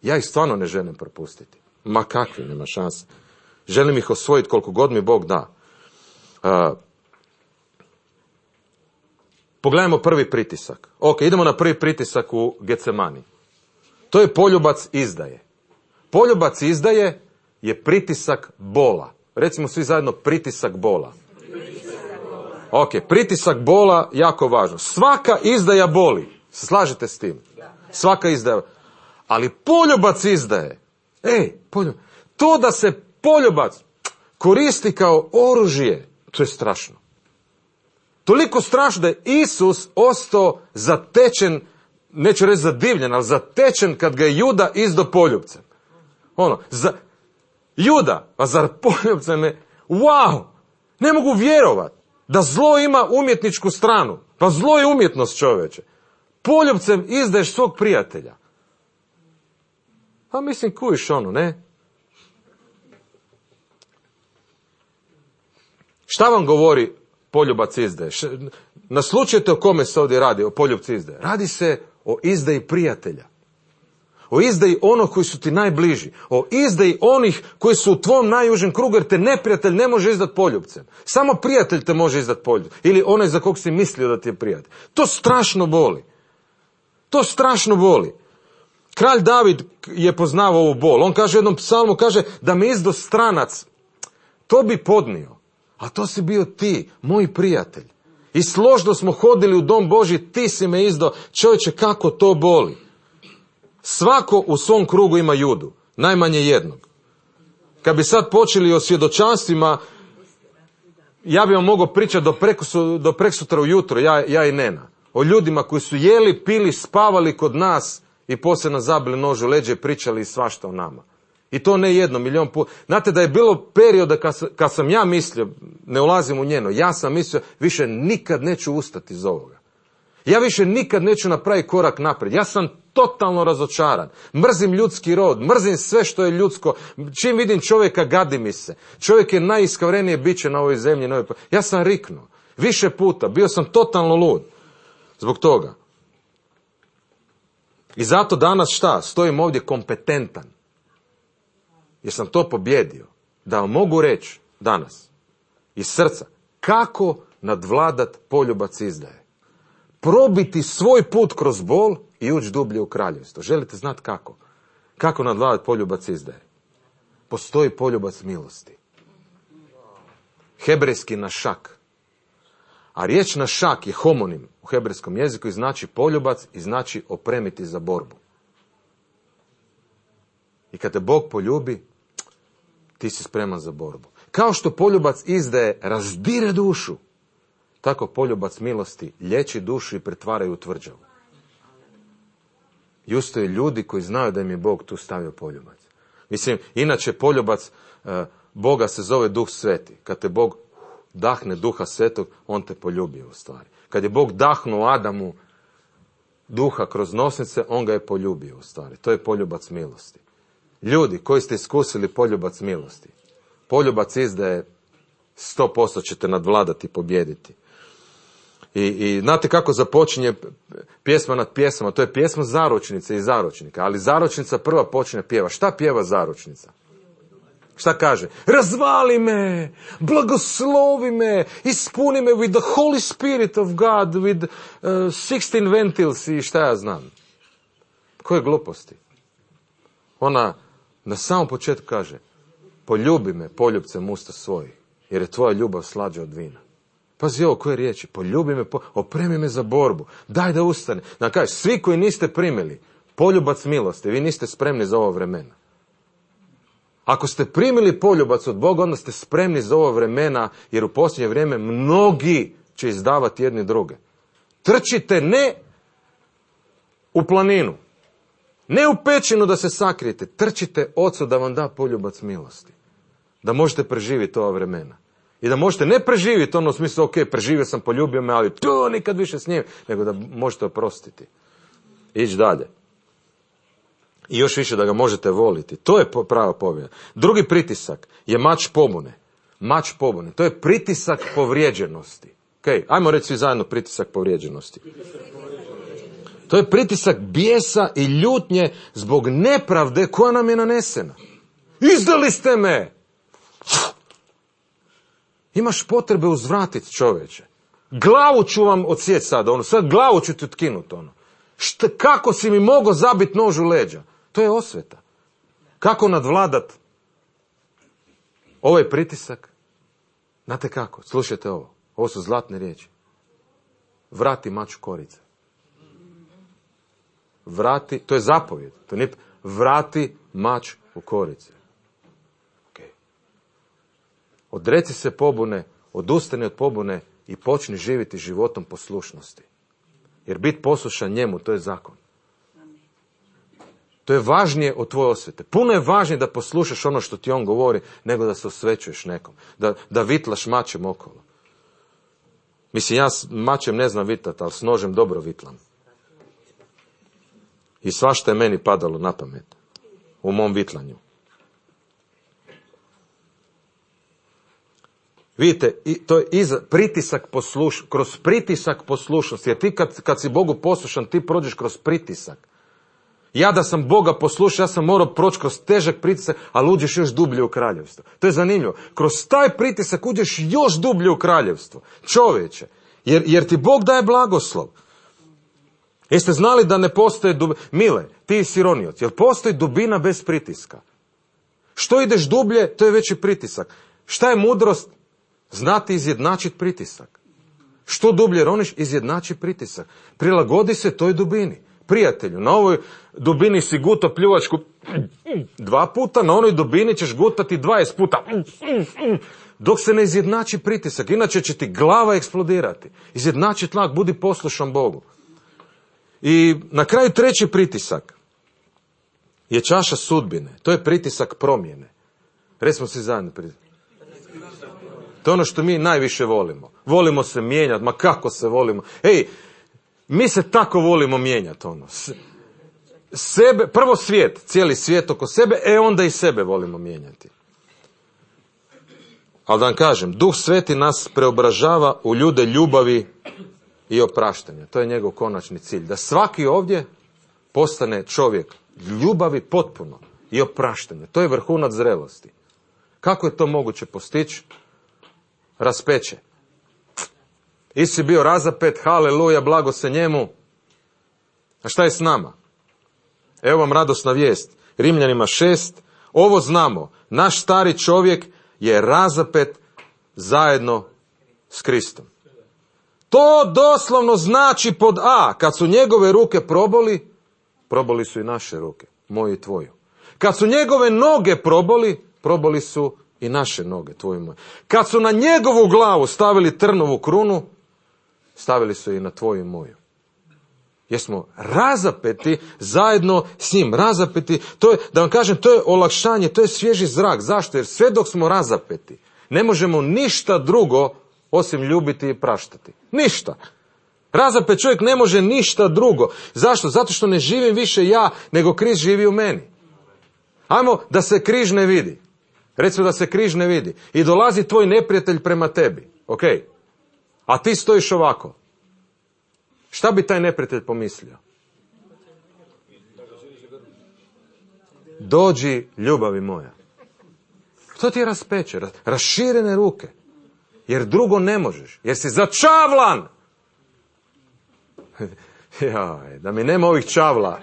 Ja ih stvarno ne želim propustiti. Ma kakvi, nema šanse. Želim ih osvojiti koliko god mi Bog da. Uh, pogledajmo prvi pritisak. Ok, idemo na prvi pritisak u Getsemani. To je poljubac izdaje. Poljubac izdaje je pritisak bola. Recimo svi zajedno pritisak bola. Ok, pritisak bola jako važno. Svaka izdaja boli. Slažete s tim? Svaka izdaja. Ali poljubac izdaje. Ej, poljubac. To da se poljubac koristi kao oružje, to je strašno. Toliko strašno da je Isus ostao zatečen, neću reći zadivljen, ali zatečen kad ga je Juda izdo poljubcem. Ono, za, Juda, a zar poljubcem je, wow, ne mogu vjerovat da zlo ima umjetničku stranu. Pa zlo je umjetnost, čovječe. Poljubcem izdaješ svog prijatelja. Pa mislim, kujiš ono, ne? Šta vam govori poljubac izdaje? Naslučajte o kome se ovdje radi, o poljubcu izdaje. Radi se o izdaji prijatelja. O izdaji onih koji su ti najbliži. O izdaji onih koji su u tvom najužem krugu, jer te neprijatelj ne može izdati poljubcem. Samo prijatelj te može izdati poljubcem. Ili onaj za kog si mislio da ti je prijatelj. To strašno boli. To strašno boli. Kralj David je poznavao ovu bol. On kaže u jednom psalmu, kaže da me izdo stranac, to bi podnio. A to si bio ti, moj prijatelj. I složno smo hodili u dom Božji, ti si me izdo. Čovječe, kako to boli. Svako u svom krugu ima Judu. Najmanje jednog. Kad bi sad počeli o svjedočanstvima, ja bi vam mogao pričati do, prekusu, do preksutra ujutro, ja, ja i Nena. O ljudima koji su jeli, pili, spavali kod nas i poslije nas zabili nož u leđe i pričali svašta o nama. I to ne jedno, milijon puta. Znate da je bilo perioda kad, kad sam ja mislio, ne ulazim u njeno, ja sam mislio više nikad neću ustati iz ovoga. Ja više nikad neću napraviti korak naprijed. Ja sam totalno razočaran. Mrzim ljudski rod, mrzim sve što je ljudsko. Čim vidim čovjeka, gadi mi se. Čovjek je najiskavrenije biće na ovoj zemlji. Na ovoj... Ja sam riknuo. Više puta. Bio sam totalno lud. Zbog toga. I zato danas šta? Stojim ovdje kompetentan. Jer sam to pobjedio. Da vam mogu reći danas iz srca kako nadvladat poljubac izdaje. Probiti svoj put kroz bol i ući dublje u kraljevstvo. Želite znati kako? Kako nadvladati poljubac izdaje? Postoji poljubac milosti. Hebrejski našak. A riječ našak je homonim u hebrejskom jeziku i znači poljubac i znači opremiti za borbu. I kad te Bog poljubi, ti si spreman za borbu. Kao što poljubac izdaje razdire dušu, tako poljubac milosti liječi dušu i pretvara u tvrđavu. I ustoje ljudi koji znaju da im je Bog tu stavio poljubac. Mislim, inače poljubac e, Boga se zove Duh Sveti. Kad te Bog dahne Duha Svetog, on te poljubio u stvari. Kad je Bog dahnuo Adamu duha kroz nosnice, on ga je poljubio u stvari. To je poljubac milosti. Ljudi koji ste iskusili poljubac milosti, poljubac izdaje sto posto ćete nadvladati i pobijediti. I, I znate kako započinje pjesma nad pjesmama? To je pjesma zaručnice i zaručnika. Ali zaručnica prva počinje pjeva. Šta pjeva zaručnica? Šta kaže? Razvali me, blagoslovi me, ispuni me with the Holy Spirit of God, with uh, sixteen ventils i šta ja znam. Koje gluposti? Ona na samom početku kaže, poljubi me poljubcem usta svojih, jer je tvoja ljubav slađa od vina. Pazi ovo koje riječi, poljubi me, po, opremi me za borbu, daj da ustane. Da kaže, svi koji niste primili poljubac milosti, vi niste spremni za ovo vremena. Ako ste primili poljubac od Boga, onda ste spremni za ova vremena, jer u posljednje vrijeme mnogi će izdavati jedni druge. Trčite ne u planinu, ne u pećinu da se sakrijete, trčite Ocu da vam da poljubac milosti. Da možete preživjeti ova vremena. I da možete ne preživjeti ono u smislu, ok, preživio sam, poljubio me, ali to nikad više s njim, nego da možete oprostiti. Ići dalje. I još više da ga možete voliti. To je prava pobjeda. Drugi pritisak je mač pobune. Mač pobune. To je pritisak povrijeđenosti. Ok, ajmo reći svi zajedno pritisak povrijeđenosti. To je pritisak bijesa i ljutnje zbog nepravde koja nam je nanesena. Izdali ste me! Imaš potrebe uzvratiti, čovječe. Glavu ću vam odsjeći sad, ono, sad glavu ću ti otkinuti, ono. Šta, kako si mi mogao zabiti nož u leđa? To je osveta. Kako nadvladat ovaj pritisak? Znate kako? Slušajte ovo. Ovo su zlatne riječi. Vrati mač u korice. Vrati, to je zapovjed. To nije, vrati mač u korice. Okay. Odreci se pobune, odustani od pobune i počni živjeti životom poslušnosti. Jer biti poslušan njemu, to je zakon. To je važnije od tvoje osvete. Puno je važnije da poslušaš ono što ti on govori, nego da se osvećuješ nekom. Da, da vitlaš mačem okolo. Mislim, ja s mačem ne znam vitati, ali s nožem dobro vitlam. I svašta je meni padalo na pamet. U mom vitlanju. Vidite, to je iza, pritisak posluš, kroz pritisak poslušnosti. Jer ti kad, kad si Bogu poslušan, ti prođeš kroz pritisak. Ja da sam Boga poslušao, ja sam morao proći kroz težak pritisak, ali uđeš još dublje u kraljevstvo. To je zanimljivo. Kroz taj pritisak uđeš još dublje u kraljevstvo. Čovječe, jer, jer ti Bog daje blagoslov. Jeste znali da ne postoji dubina? Mile, ti si ronioc, jel postoji dubina bez pritiska? Što ideš dublje, to je veći pritisak. Šta je mudrost? Znati izjednačiti pritisak. Što dublje roniš, izjednači pritisak. Prilagodi se toj dubini. Prijatelju, na ovoj dubini si guto pljuvačku dva puta, na onoj dubini ćeš gutati dvadeset puta. Dok se ne izjednači pritisak, inače će ti glava eksplodirati. Izjednači tlak, budi poslušan Bogu. I na kraju treći pritisak je čaša sudbine. To je pritisak promjene. Recimo si zajedno pritisak. To je ono što mi najviše volimo. Volimo se mijenjati, ma kako se volimo. Ej, mi se tako volimo mijenjati, ono. Sebe, prvo svijet, cijeli svijet oko sebe, e onda i sebe volimo mijenjati. Ali da vam kažem, Duh Sveti nas preobražava u ljude ljubavi i opraštanja. To je njegov konačni cilj. Da svaki ovdje postane čovjek ljubavi potpuno i opraštanja. To je vrhunac zrelosti. Kako je to moguće postići? Raspeće. Isi bio razapet, haleluja, blago se njemu. A šta je s nama? Evo vam radosna vijest. Rimljanima šest. Ovo znamo. Naš stari čovjek je razapet zajedno s Kristom. To doslovno znači pod A. Kad su njegove ruke proboli, proboli su i naše ruke. Moju i tvoju. Kad su njegove noge proboli, proboli su i naše noge, tvoje i moje. Kad su na njegovu glavu stavili trnovu krunu, stavili su i na tvoju i moju. Jer smo razapeti zajedno s njim. Razapeti, to je, da vam kažem, to je olakšanje, to je svježi zrak. Zašto? Jer sve dok smo razapeti, ne možemo ništa drugo osim ljubiti i praštati. Ništa. Razapet čovjek ne može ništa drugo. Zašto? Zato što ne živim više ja, nego križ živi u meni. Ajmo da se križ ne vidi. Recimo da se križ ne vidi. I dolazi tvoj neprijatelj prema tebi. Ok? A ti stojiš ovako. Šta bi taj neprijatelj pomislio? Dođi, ljubavi moja. To ti je raspeće, raširene ruke. Jer drugo ne možeš. Jer si začavlan. Jaj, da mi nema ovih čavla.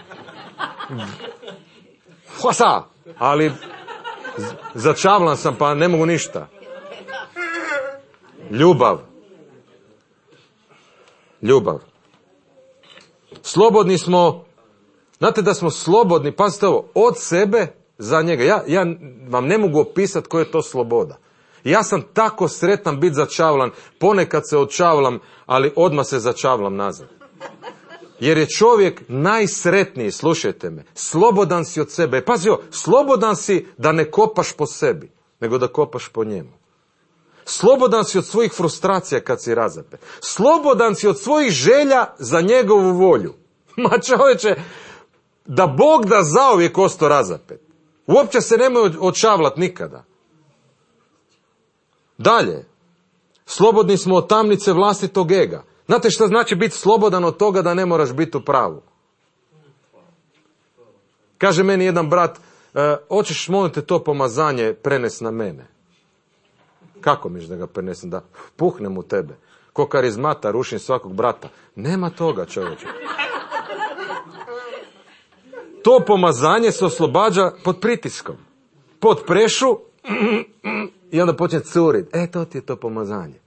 Hvasa! Ali začavlan sam pa ne mogu ništa. Ljubav. Ljubav. Slobodni smo, znate da smo slobodni, pazite ovo, od sebe za njega. Ja, ja vam ne mogu opisati koja je to sloboda. Ja sam tako sretan biti začavlan, ponekad se odčavlam, ali odmah se začavlam nazad. Jer je čovjek najsretniji, slušajte me, slobodan si od sebe. Pazi ovo, slobodan si da ne kopaš po sebi, nego da kopaš po njemu. Slobodan si od svojih frustracija kad si razapet. Slobodan si od svojih želja za njegovu volju. Ma čovječe, da Bog da zauvijek ostao razapet. Uopće se nemoj odčavlat nikada. Dalje, slobodni smo od tamnice vlastitog ega. Znate što znači biti slobodan od toga da ne moraš biti u pravu? Kaže meni jedan brat, e, hoćeš molim te to pomazanje prenes na mene. Kako miš da ga prenesem? Da puhnem u tebe. Ko karizmata rušim svakog brata. Nema toga, čovječe. To pomazanje se oslobađa pod pritiskom. Pod prešu i onda počne curit. E, to ti je to pomazanje.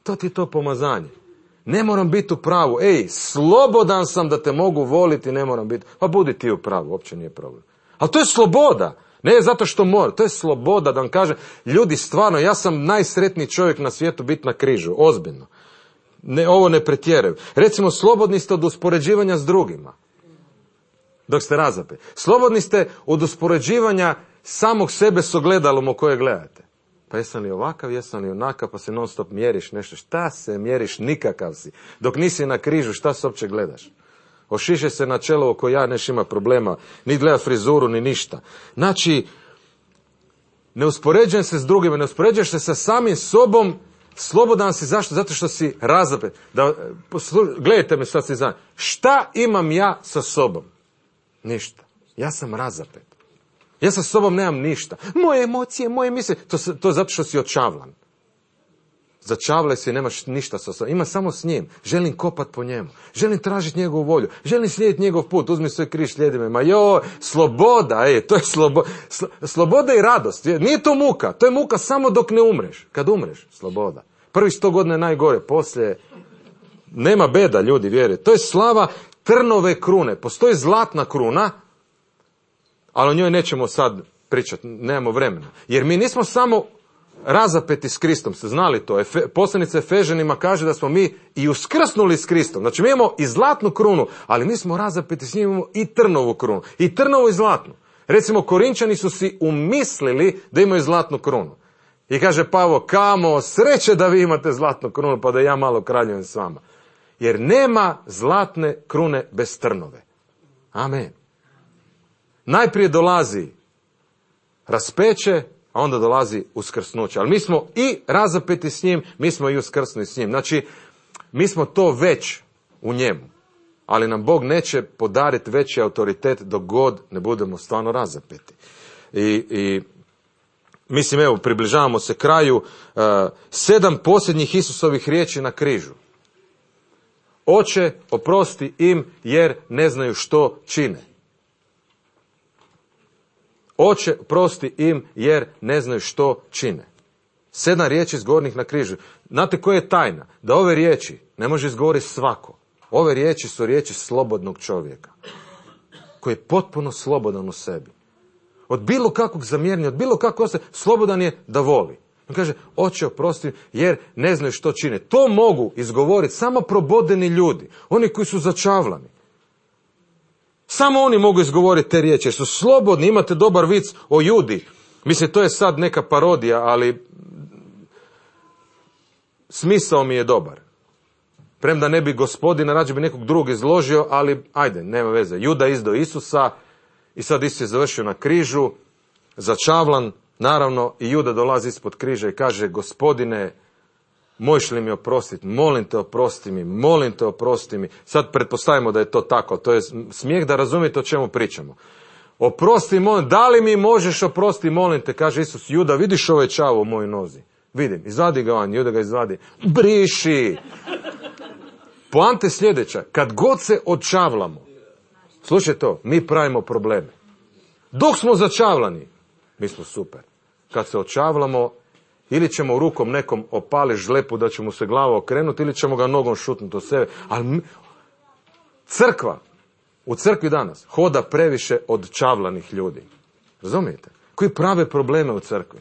To ti je to pomazanje. Ne moram biti u pravu. Ej, slobodan sam da te mogu voliti, ne moram biti. Pa budi ti u pravu, uopće nije problem. Ali to je sloboda. Ne zato što mora, to je sloboda da vam kažem, ljudi stvarno, ja sam najsretniji čovjek na svijetu biti na križu, ozbiljno. Ne, ovo ne pretjeraju. Recimo, slobodni ste od uspoređivanja s drugima. Dok ste razapet. Slobodni ste od uspoređivanja samog sebe s ogledalom o koje gledate. Pa jesam li ovakav, jesam li onakav, pa se non stop mjeriš nešto. Šta se mjeriš, nikakav si. Dok nisi na križu, šta se uopće gledaš? Ošiše se na čelo oko ja, neš ima problema, ni gleda frizuru, ni ništa. Znači, ne uspoređujem se s drugima, ne uspoređuješ se sa samim sobom, slobodan si, zašto? Zato što si razapet. Da, poslu, gledajte me sad si znam. Šta imam ja sa sobom? Ništa. Ja sam razapet. Ja sa sobom nemam ništa. Moje emocije, moje misle, to, to je zato što si očavlan. Začavlaj se i nemaš ništa sa sobom. Ima samo s njim. Želim kopat po njemu. Želim tražiti njegovu volju. Želim slijediti njegov put. Uzmi svoj križ, slijedi me. Ma joj, sloboda, ej, to je sloboda. Sloboda i radost. Nije to muka. To je muka samo dok ne umreš. Kad umreš, sloboda. Prvi sto godina je najgore. Poslije nema beda, ljudi, vjerujte. To je slava trnove krune. Postoji zlatna kruna, ali o njoj nećemo sad pričati. Nemamo vremena. Jer mi nismo samo razapeti s Kristom, ste znali to? Efe, poslanica Efežanima kaže da smo mi i uskrsnuli s Kristom. Znači mi imamo i zlatnu krunu, ali mi smo razapeti s njim, imamo i trnovu krunu. I trnovu i zlatnu. Recimo, Korinčani su si umislili da imaju zlatnu krunu. I kaže Pavao, kamo, sreće da vi imate zlatnu krunu, pa da ja malo kraljujem s vama. Jer nema zlatne krune bez trnove. Amen. Najprije dolazi raspeće, a onda dolazi uskrsnuće. Ali mi smo i razapeti s njim, mi smo i uskrsnuli s njim. Znači, mi smo to već u njemu. Ali nam Bog neće podariti veći autoritet dok god ne budemo stvarno razapeti. I, i mislim, evo, približavamo se kraju. Uh, sedam posljednjih Isusovih riječi na križu. Oče, oprosti im jer ne znaju što čine. Oče, prosti im jer ne znaju što čine. Sedam riječi izgovornih na križu. Znate koja je tajna? Da ove riječi ne može izgovoriti svako. Ove riječi su riječi slobodnog čovjeka. Koji je potpuno slobodan u sebi. Od bilo kakvog zamjerenja, od bilo kakvog ostaje, slobodan je da voli. On kaže, oče, oprosti jer ne znaju što čine. To mogu izgovoriti samo probodeni ljudi. Oni koji su začavlani. Samo oni mogu izgovoriti te riječi, jer su slobodni, imate dobar vic o Judi. Mislim, to je sad neka parodija, ali smisao mi je dobar. Premda ne bi gospodina, rađe bi nekog drugog izložio, ali ajde, nema veze. Juda izdao Isusa i sad Isus je završio na križu, začavlan, naravno, i Juda dolazi ispod križa i kaže, gospodine, možeš li mi oprostiti, molim te oprosti mi, molim te oprosti mi. Sad pretpostavimo da je to tako, to je smijeh da razumijete o čemu pričamo. Oprosti, molim, da li mi možeš oprosti, molim te, kaže Isus, Juda, vidiš ovaj čavo u mojoj nozi? Vidim, izvadi ga van, Juda ga izvadi, briši. Poanta je sljedeća, kad god se odčavlamo, slušaj to, mi pravimo probleme. Dok smo začavlani, mi smo super. Kad se odčavlamo, ili ćemo rukom nekom opali žlepu da će mu se glava okrenuti, ili ćemo ga nogom šutnuti od sebe. Ali crkva, u crkvi danas, hoda previše odčavlanih ljudi. Razumijete? Koji prave probleme u crkvi.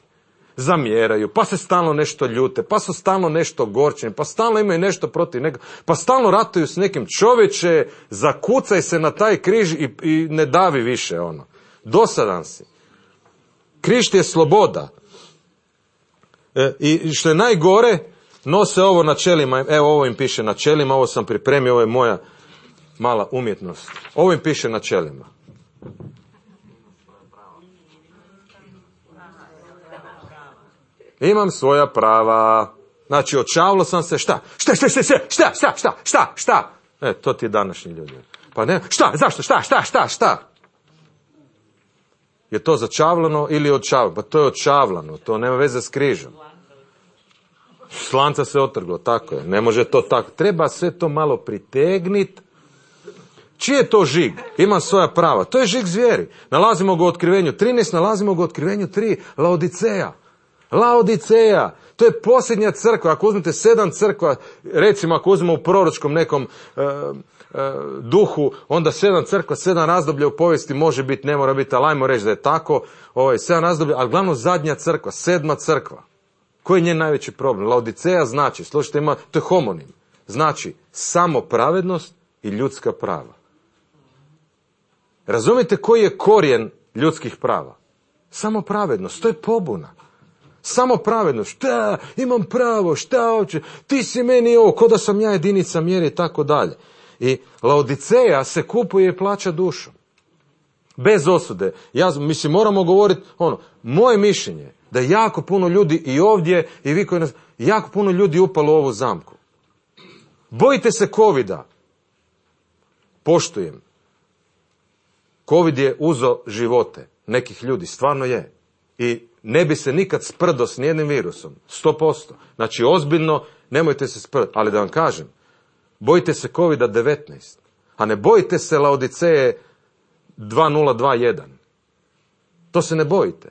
Zamjeraju, pa se stalno nešto ljute, pa su stalno nešto gorčeni, pa stalno imaju nešto protiv nekog, pa stalno ratuju s nekim. Čovječe, zakucaj se na taj križ i, i ne davi više ono. Dosadan si. Križ ti je sloboda. E, I što je najgore, nose ovo na čelima, evo ovo im piše na čelima, ovo sam pripremio, ovo je moja mala umjetnost. Ovo im piše na čelima. Imam svoja prava. Znači, očavlo sam se, šta? Šta, šta, šta, šta, šta, šta, šta, šta, šta? E, to ti je današnji ljudi. Pa ne, šta, zašto, šta, šta, šta, šta? Je to začavlano ili odčavlano? Pa to je odčavlano, to nema veze s križom. Slanca se otrglo, tako je, ne može to tako. Treba sve to malo pritegnit. Čiji je to žig? Ima svoja prava. To je žig zvijeri. Nalazimo ga u Otkrivenju trinaest, nalazimo ga u Otkrivenju tri, Laodiceja. Laodiceja, to je posljednja crkva. Ako uzmete sedam crkva, recimo ako uzmemo u proročkom nekom e, e, duhu, onda sedam crkva, sedam razdoblja u povijesti može biti, ne mora biti, ali ajmo reći da je tako, ovaj, sedam razdoblja, ali glavno zadnja crkva, sedma crkva. Koji je njen najveći problem? Laodiceja znači, slušajte, ima, to je homonim, znači samo pravednost i ljudska prava. Razumite koji je korijen ljudskih prava? Samo pravednost, to je pobuna. Samo pravednost, šta, imam pravo, šta hoće, ti si meni ovo, ko da sam ja jedinica mjere i tako dalje. I Laodiceja se kupuje i plaća dušom. Bez osude. Ja, mislim, moramo govoriti, ono, moje mišljenje, da je jako puno ljudi i ovdje, i vi koji nas, jako puno ljudi upalo u ovu zamku. Bojite se covida. Poštujem. Covid je uzo živote nekih ljudi, stvarno je. I ne bi se nikad sprdo s nijednim virusom, sto posto. Znači, ozbiljno, nemojte se sprdo. Ali da vam kažem, bojite se covida devetnaest, a ne bojite se Laodiceje dva nula dva jedan. To se ne bojite.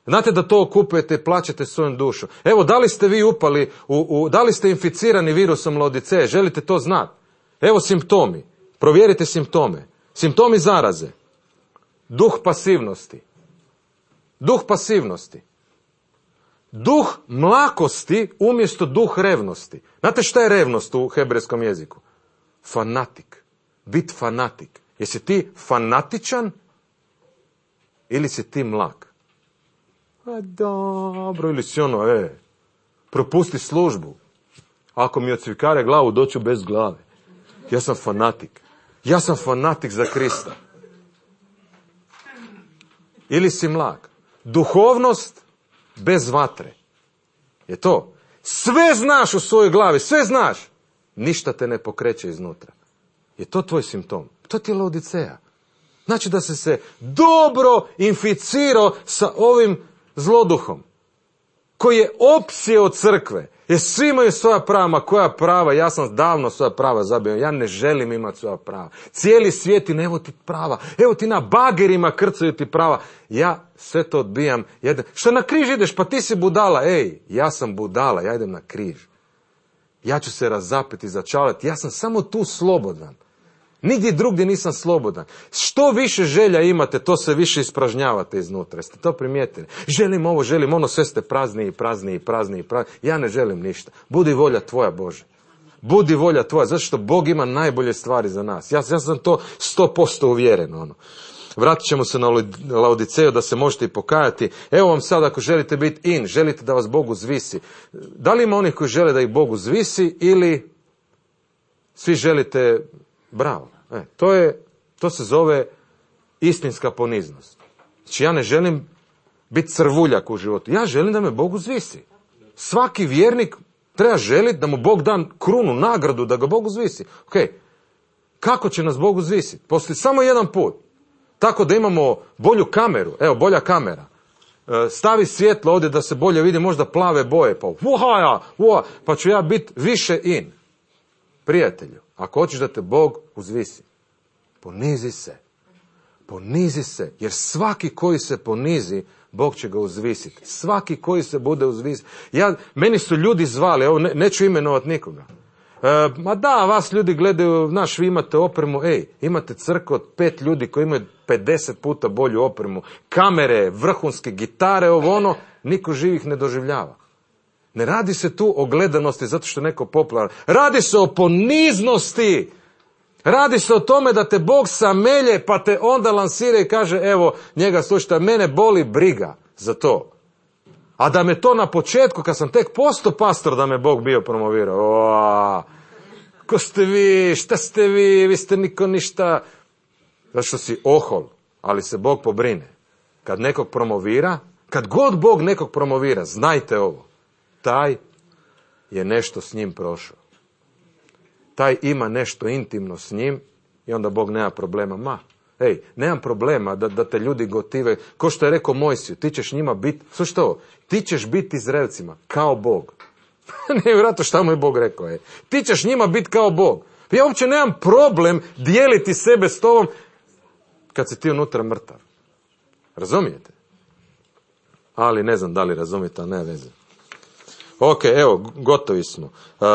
Znate da to kupujete i plaćate svojom dušom. Evo, da li ste vi upali, u, u, da li ste inficirani virusom Laodiceje, želite to znati? Evo simptomi, provjerite simptome. Simptomi zaraze, duh pasivnosti. Duh pasivnosti. Duh mlakosti umjesto duh revnosti. Znate šta je revnost u hebrejskom jeziku? Fanatik. Bit fanatik. Jesi ti fanatičan ili si ti mlak? A dobro, ili si ono, e, propusti službu. Ako mi odcvikare glavu, doću bez glave. Ja sam fanatik. Ja sam fanatik za Krista. Ili si mlak. Duhovnost bez vatre. Je to. Sve znaš u svojoj glavi, sve znaš. Ništa te ne pokreće iznutra. Je to tvoj simptom. To ti je Laodiceja. Znači da se se dobro inficirao sa ovim zloduhom. Koji je opsjeo crkve. Jer svi imaju svoja prava, ma koja prava, ja sam davno svoja prava zabio, ja ne želim imati svoja prava. Cijeli svijet i evo ti prava, evo ti na bagerima krcaju ti prava. Ja sve to odbijam. Jedan. Što na križ ideš, pa ti si budala, ej, ja sam budala, ja idem na križ. Ja ću se razapeti, začalati, ja sam samo tu slobodan. Nigdje drugdje nisam slobodan. Što više želja imate, to se više ispražnjavate iznutra. Jeste to primijetili? Želim ovo, želim ono, sve ste prazniji, prazniji, prazniji, prazniji. Ja ne želim ništa. Budi volja tvoja, Bože. Budi volja tvoja, zato što Bog ima najbolje stvari za nas. Ja, ja sam to sto posto uvjeren. Ono. Vratit ćemo se na Laodiceju da se možete i pokajati. Evo vam sad, ako želite biti in, želite da vas Bog uzvisi. Da li ima onih koji žele da ih Bog uzvisi ili svi želite... Bravo. E, to je, to se zove istinska poniznost. Znači ja ne želim biti crvuljak u životu. Ja želim da me Bog uzvisi. Svaki vjernik treba želiti da mu Bog da krunu, nagradu, da ga Bog uzvisi. Ok, kako će nas Bog uzvisiti? Postoji samo jedan put. Tako da imamo bolju kameru. Evo, bolja kamera. E, stavi svjetlo ovdje da se bolje vidi, možda plave boje. Pa, uhaja, uha, pa ću ja biti više in. Prijatelju. Ako hoćeš da te Bog uzvisi, ponizi se. Ponizi se, jer svaki koji se ponizi, Bog će ga uzvisiti. Svaki koji se bude uzvisiti. Ja, meni su ljudi zvali, evo ne, neću imenovati nikoga. E, ma da, vas ljudi gledaju, znaš, vi imate opremu, ej, imate crkvu od pet ljudi koji imaju pedeset puta bolju opremu, kamere, vrhunske gitare, ovo ono, niko živih ne doživljava. Ne radi se tu o gledanosti zato što je neko popularan. Radi se o poniznosti. Radi se o tome da te Bog samelje pa te onda lansira i kaže evo njega slušajte, mene boli briga za to. A da me to na početku kad sam tek postao pastor da me Bog bio promovirao. O, ko ste vi, šta ste vi, vi ste niko ništa. Zato što si ohol, ali se Bog pobrine. Kad nekog promovira, kad god Bog nekog promovira, znajte ovo. Taj je nešto s njim prošao. Taj ima nešto intimno s njim i onda Bog nema problema. Ma, ej, nemam problema da, da te ljudi gotive. Ko što je rekao Mojsiju, ti ćeš njima biti, slušajte ovo, ti ćeš biti Izraelcima kao Bog. Nevjerojatno šta mu je Bog rekao. Je. Ti ćeš njima biti kao Bog. Ja uopće nemam problem dijeliti sebe s tobom kad si ti unutra mrtav. Razumijete? Ali ne znam da li razumijete, ali ne veze. Ok, evo, gotovi smo. Uh,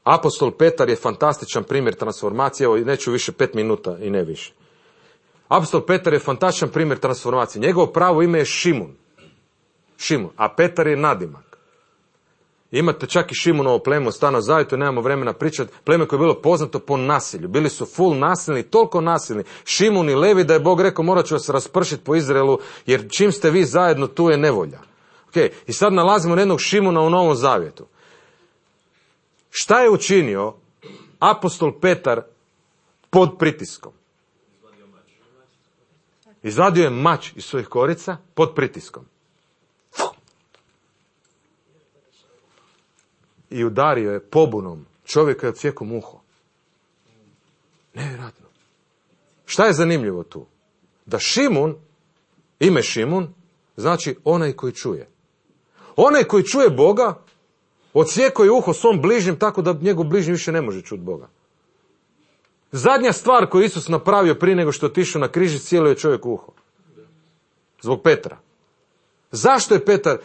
Apostol Petar je fantastičan primjer transformacije, evo neću više pet minuta i ne više. Apostol Petar je fantastičan primjer transformacije. Njegovo pravo ime je Šimun. Šimun, a Petar je nadimak. Imate čak i Šimunovo pleme u Stanu Zavjetu, nemamo vremena pričati, pleme koje je bilo poznato po nasilju. Bili su full nasilni, toliko nasilni. Šimun i Levi da je Bog rekao morat ću vas raspršiti po Izraelu, jer čim ste vi zajedno tu je nevolja. Okay. I sad nalazimo jednog Šimuna u Novom Zavjetu. Šta je učinio apostol Petar pod pritiskom? Izvadio je mač iz svojih korica pod pritiskom. I udario je pobunom čovjeka je odsjekao uho. Nevjerojatno. Šta je zanimljivo tu? Da Šimun, ime Šimun, znači onaj koji čuje. Onaj koji čuje Boga, odsjekao je uho svom bližnjem tako da njegov bližnji više ne može čuti Boga. Zadnja stvar koju Isus napravio prije nego što je otišao na križ, cijelo je čovjek uho. Zbog Petra. Zašto je Petar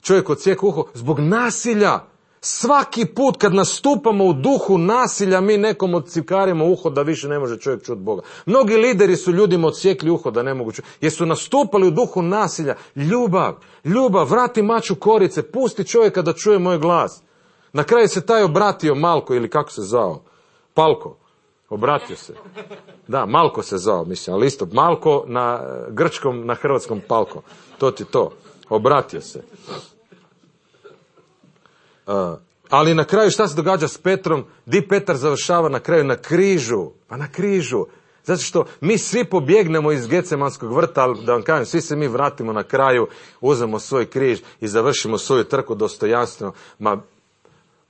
čovjek odsjekao uho? Zbog nasilja. Svaki put kad nastupamo u duhu nasilja, mi nekom odcikarimo uho da više ne može čovjek čuti Boga. Mnogi lideri su ljudima odsjekli uho da ne mogu čuti, jer su nastupali u duhu nasilja. Ljubav, ljubav, vrati mač u korice, pusti čovjeka da čuje moj glas. Na kraju se taj obratio Malko, ili kako se zvao? Palko. Obratio se. Da, Malko se zvao, mislim, ali isto. Malko na grčkom, na hrvatskom Palko. To ti to. Obratio se. Uh, ali na kraju šta se događa s Petrom? Di Petar završava na kraju? Na križu. Pa na križu. Zato što mi svi pobjegnemo iz Getsemanskog vrta, ali da vam kažem, svi se mi vratimo na kraju, uzmemo svoj križ i završimo svoju trku dostojanstveno. Ma,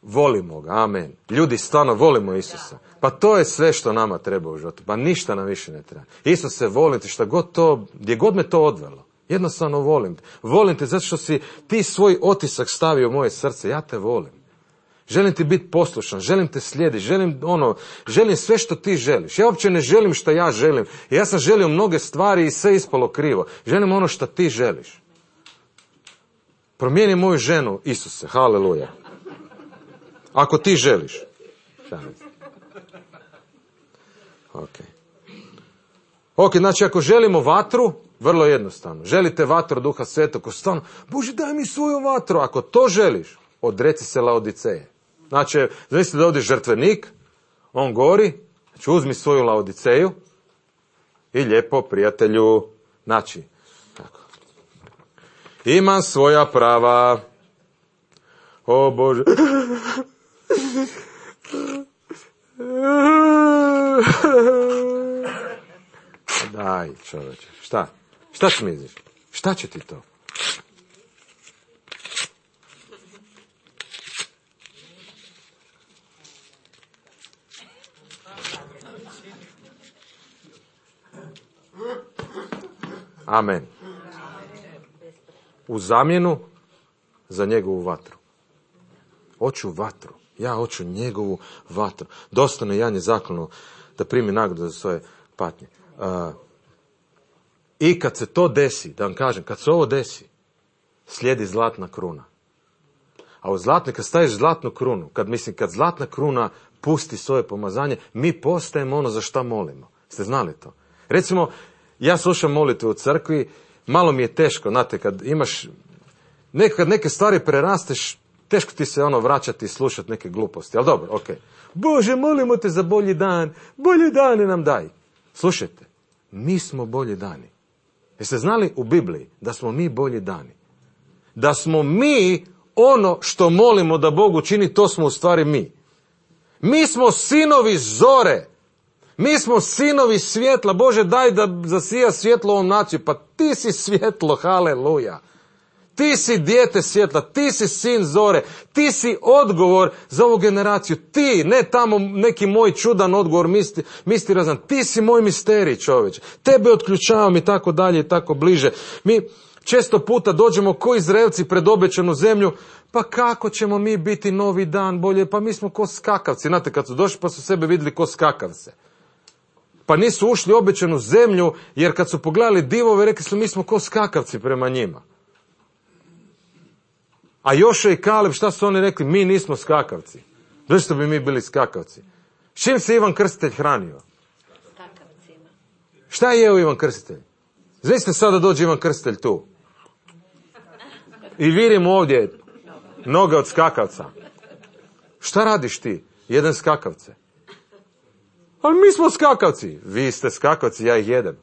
volimo ga, amen. Ljudi, stvarno volimo Isusa. Pa to je sve što nama treba u životu. Pa ništa nam više ne treba. Isus se volim te, šta god to, gdje god me to odvelo. Jednostavno volim te. Volim te zato što si ti svoj otisak stavio u moje srce. Ja te volim. Želim ti biti poslušan, želim te slijediti, želim ono, želim sve što ti želiš. Ja uopće ne želim što ja želim. Ja sam želio mnoge stvari i sve ispalo krivo. Želim ono što ti želiš. Promijeni moju ženu, Isuse, haleluja. Ako ti želiš. Ok. Ok, znači ako želimo vatru, vrlo jednostavno. Želite vatru Duha Svetog, ko stvarno, Bože daj mi svoju vatru. Ako to želiš, odreci se Laodiceje. Znači, zamislite da ovdje žrtvenik, on gori, znači uzmi svoju Laodiceju i lijepo, prijatelju, znači, tako. Imam svoja prava. O Bože. Daj, čovječe, šta? Šta smiziš? Šta će ti to? Amen. U zamjenu za njegovu vatru. Hoću vatru. Ja hoću njegovu vatru. Dostojno Janje zaklonu da primi nagradu za svoje patnje. Uh, I kad se to desi, da vam kažem, kad se ovo desi, slijedi zlatna kruna. A u zlatnoj, kad staviš zlatnu krunu, kad mislim, kad zlatna kruna pusti svoje pomazanje, mi postajemo ono za šta molimo. Ste znali to? Recimo, ja slušam molitvu u crkvi, malo mi je teško, znate, kad imaš, nekad neke stvari prerasteš, teško ti se ono vraćati i slušati neke gluposti, ali dobro, ok. Bože, molimo te za bolji dan, bolji dane nam daj. Slušajte, mi smo bolji dani. Jeste znali u Bibliji da smo mi bolji dani? Da smo mi ono što molimo da Bog učini, to smo u stvari mi. Mi smo sinovi zore. Mi smo sinovi svjetla. Bože, daj da zasija svjetlo ovom naciju. Pa ti si svjetlo, haleluja. Ti si dijete svjetla, ti si sin zore, ti si odgovor za ovu generaciju. Ti, ne tamo neki moj čudan odgovor, misti, misti razan. Ti si moj misterij, čovječe. Tebe otključavam i tako dalje i tako bliže. Mi često puta dođemo ko Izraelci pred obećanu zemlju, pa kako ćemo mi biti novi dan bolje, pa mi smo ko skakavci. Znate, kad su došli pa su sebe vidjeli ko skakavce. Pa nisu ušli u obećanu zemlju, jer kad su pogledali divove, rekli su mi smo ko skakavci prema njima. A Jošua i Kaleb, šta su oni rekli? Mi nismo skakavci. Zašto bi mi bili skakavci? S čim se Ivan Krstitelj hranio? Skakavcima. Šta je jeo Ivan Krstitelj? Znači sada dođe Ivan Krstitelj tu. I vidimo ovdje noge od skakavca. Šta radiš ti? Jedan skakavce. Ali mi smo skakavci. Vi ste skakavci, ja ih jedem.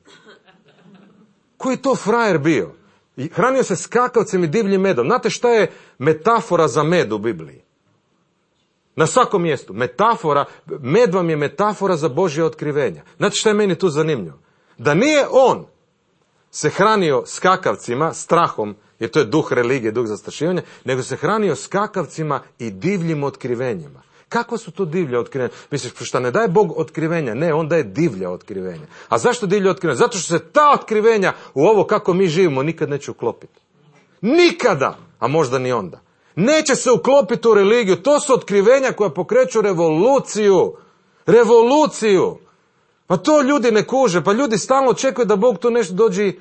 Koji je to frajer bio? I hranio se skakavcem i divljim medom. Znate šta je metafora za med u Bibliji? Na svakom mjestu. Metafora, med vam je metafora za Božje otkrivenja. Znate šta je meni tu zanimljivo? Da nije on se hranio skakavcima, strahom, jer to je duh religije, duh zastrašivanja, nego se hranio skakavcima i divljim otkrivenjima. Kako su to divlja otkrivenja? Misliš, šta ne daje Bog otkrivenja? Ne, on daje divlja otkrivenja. A zašto divlja otkrivenja? Zato što se ta otkrivenja u ovo kako mi živimo nikad neće uklopiti. Nikada! A možda ni onda. Neće se uklopiti u religiju. To su otkrivenja koja pokreću revoluciju. Revoluciju! Pa to ljudi ne kuže. Pa ljudi stalno očekuju da Bog tu nešto dođe.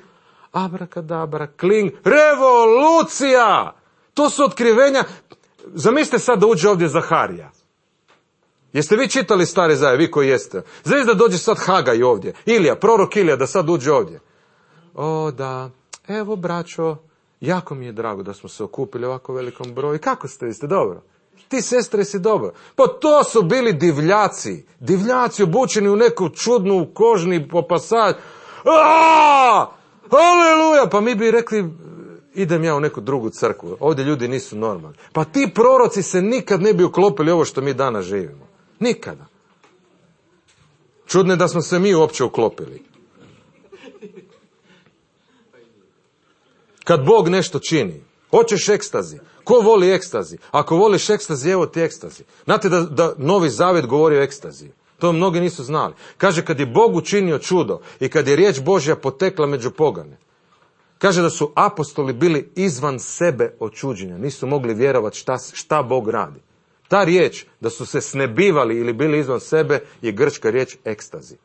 Abrakadabra, kling. Revolucija! To su otkrivenja. Zamislite sad da uđe ovdje Zaharija. Jeste vi čitali Stari Zavjet, vi koji jeste? Znači da dođe sad Hagaj ovdje. Ilija, prorok Ilija, da sad uđe ovdje. O da, evo braćo, jako mi je drago da smo se okupili u ovako velikom broju. Kako ste, vi ste dobro? Ti sestre si dobro. Pa to su bili divljaci. Divljaci obučeni u neku čudnu kožni popasad. Aaaa! Aleluja! Pa mi bi rekli, idem ja u neku drugu crkvu. Ovdje ljudi nisu normalni. Pa ti proroci se nikad ne bi uklopili ovo što mi danas živimo. Nikada. Čudno je da smo se mi uopće uklopili. Kad Bog nešto čini, hoćeš ekstazi. Ko voli ekstazi? Ako voliš ekstazi, evo ti ekstazi. Znate da, da Novi Zavjet govori o ekstaziji. To mnogi nisu znali. Kaže, kad je Bog učinio čudo i kad je riječ Božja potekla među pogane, kaže da su apostoli bili izvan sebe od čuđenja. Nisu mogli vjerovati šta, šta Bog radi. Ta riječ, da su se snebivali ili bili izvan sebe, je grčka riječ ekstazi.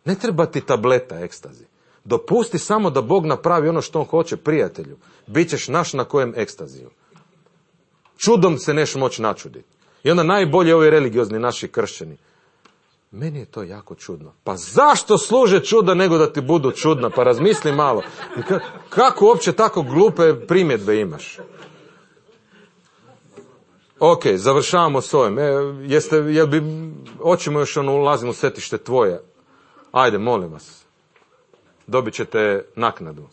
Ne treba ti tableta ekstazi. Dopusti samo da Bog napravi ono što on hoće, prijatelju. Bićeš naš na kojem ekstaziju. Čudom se neš moći načuditi. I onda najbolje ovi religiozni naši kršćani. Meni je to jako čudno. Pa zašto služe čuda nego da ti budu čudna? Pa razmisli malo. Ka- kako uopće tako glupe primjedbe imaš? Ok, završavamo s ovim. E, jeste, jel bi, hoćemo još ono, ulazimo u svetište tvoje. Ajde, molim vas. Dobit ćete naknadu.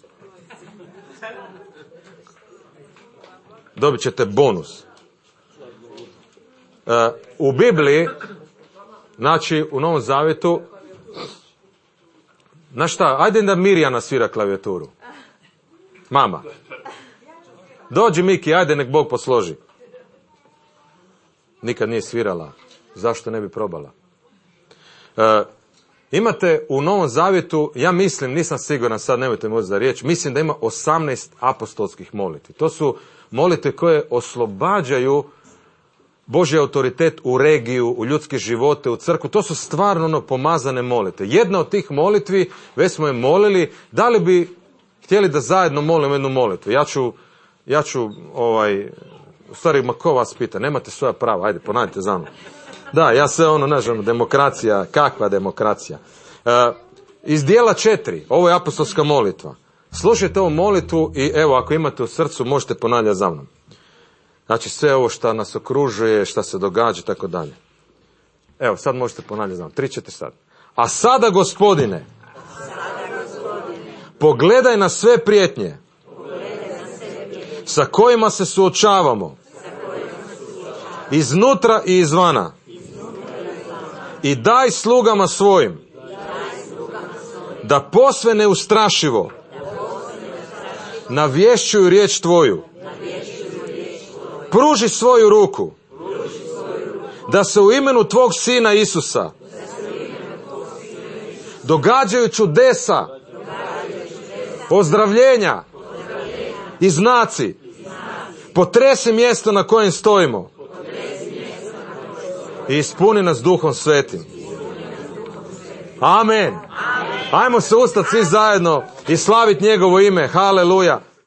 Dobit ćete bonus. E, u Bibliji, znači u Novom Zavjetu, znaš šta, ajde da Mirjana svira klavijaturu. Mama. Dođi Miki, ajde nek Bog posloži. Nikad nije svirala. Zašto ne bi probala? E, imate u Novom Zavjetu, ja mislim, nisam siguran, sad nemojte mi uzeti za riječ, mislim da ima osamnaest apostolskih molitvi. To su molitve koje oslobađaju Božji autoritet u regiju, u ljudske živote, u crkvu. To su stvarno ono pomazane molitve. Jedna od tih molitvi, već smo je molili, da li bi htjeli da zajedno molimo jednu molitvu. Ja ću, ja ću, ovaj, u stvari, ma ko vas pita, nemate svoja prava, ajde, ponavljajte za mnom. Da, ja sve ono, ne znam, demokracija, kakva demokracija. E, iz dijela četiri, ovo je apostolska molitva. Slušajte ovu molitvu i evo, ako imate u srcu, možete ponavljati za mnom. Znači, sve ovo što nas okružuje, što se događa i tako dalje. Evo, sad možete ponavljati za mnom. Tri, četiri sad. A sada, Gospodine, pogledaj na sve prijetnje sa kojima se suočavamo iznutra i izvana i daj slugama svojim da posve neustrašivo navješćuju riječ Tvoju. Pruži svoju ruku da se u imenu Tvog Sina Isusa događaju čudesa, ozdravljenja i znaci. Potresi mjesto na kojem stojimo i ispuni nas Duhom Svetim. Amen. Ajmo se ustati svi zajedno i slaviti njegovo ime. Haleluja.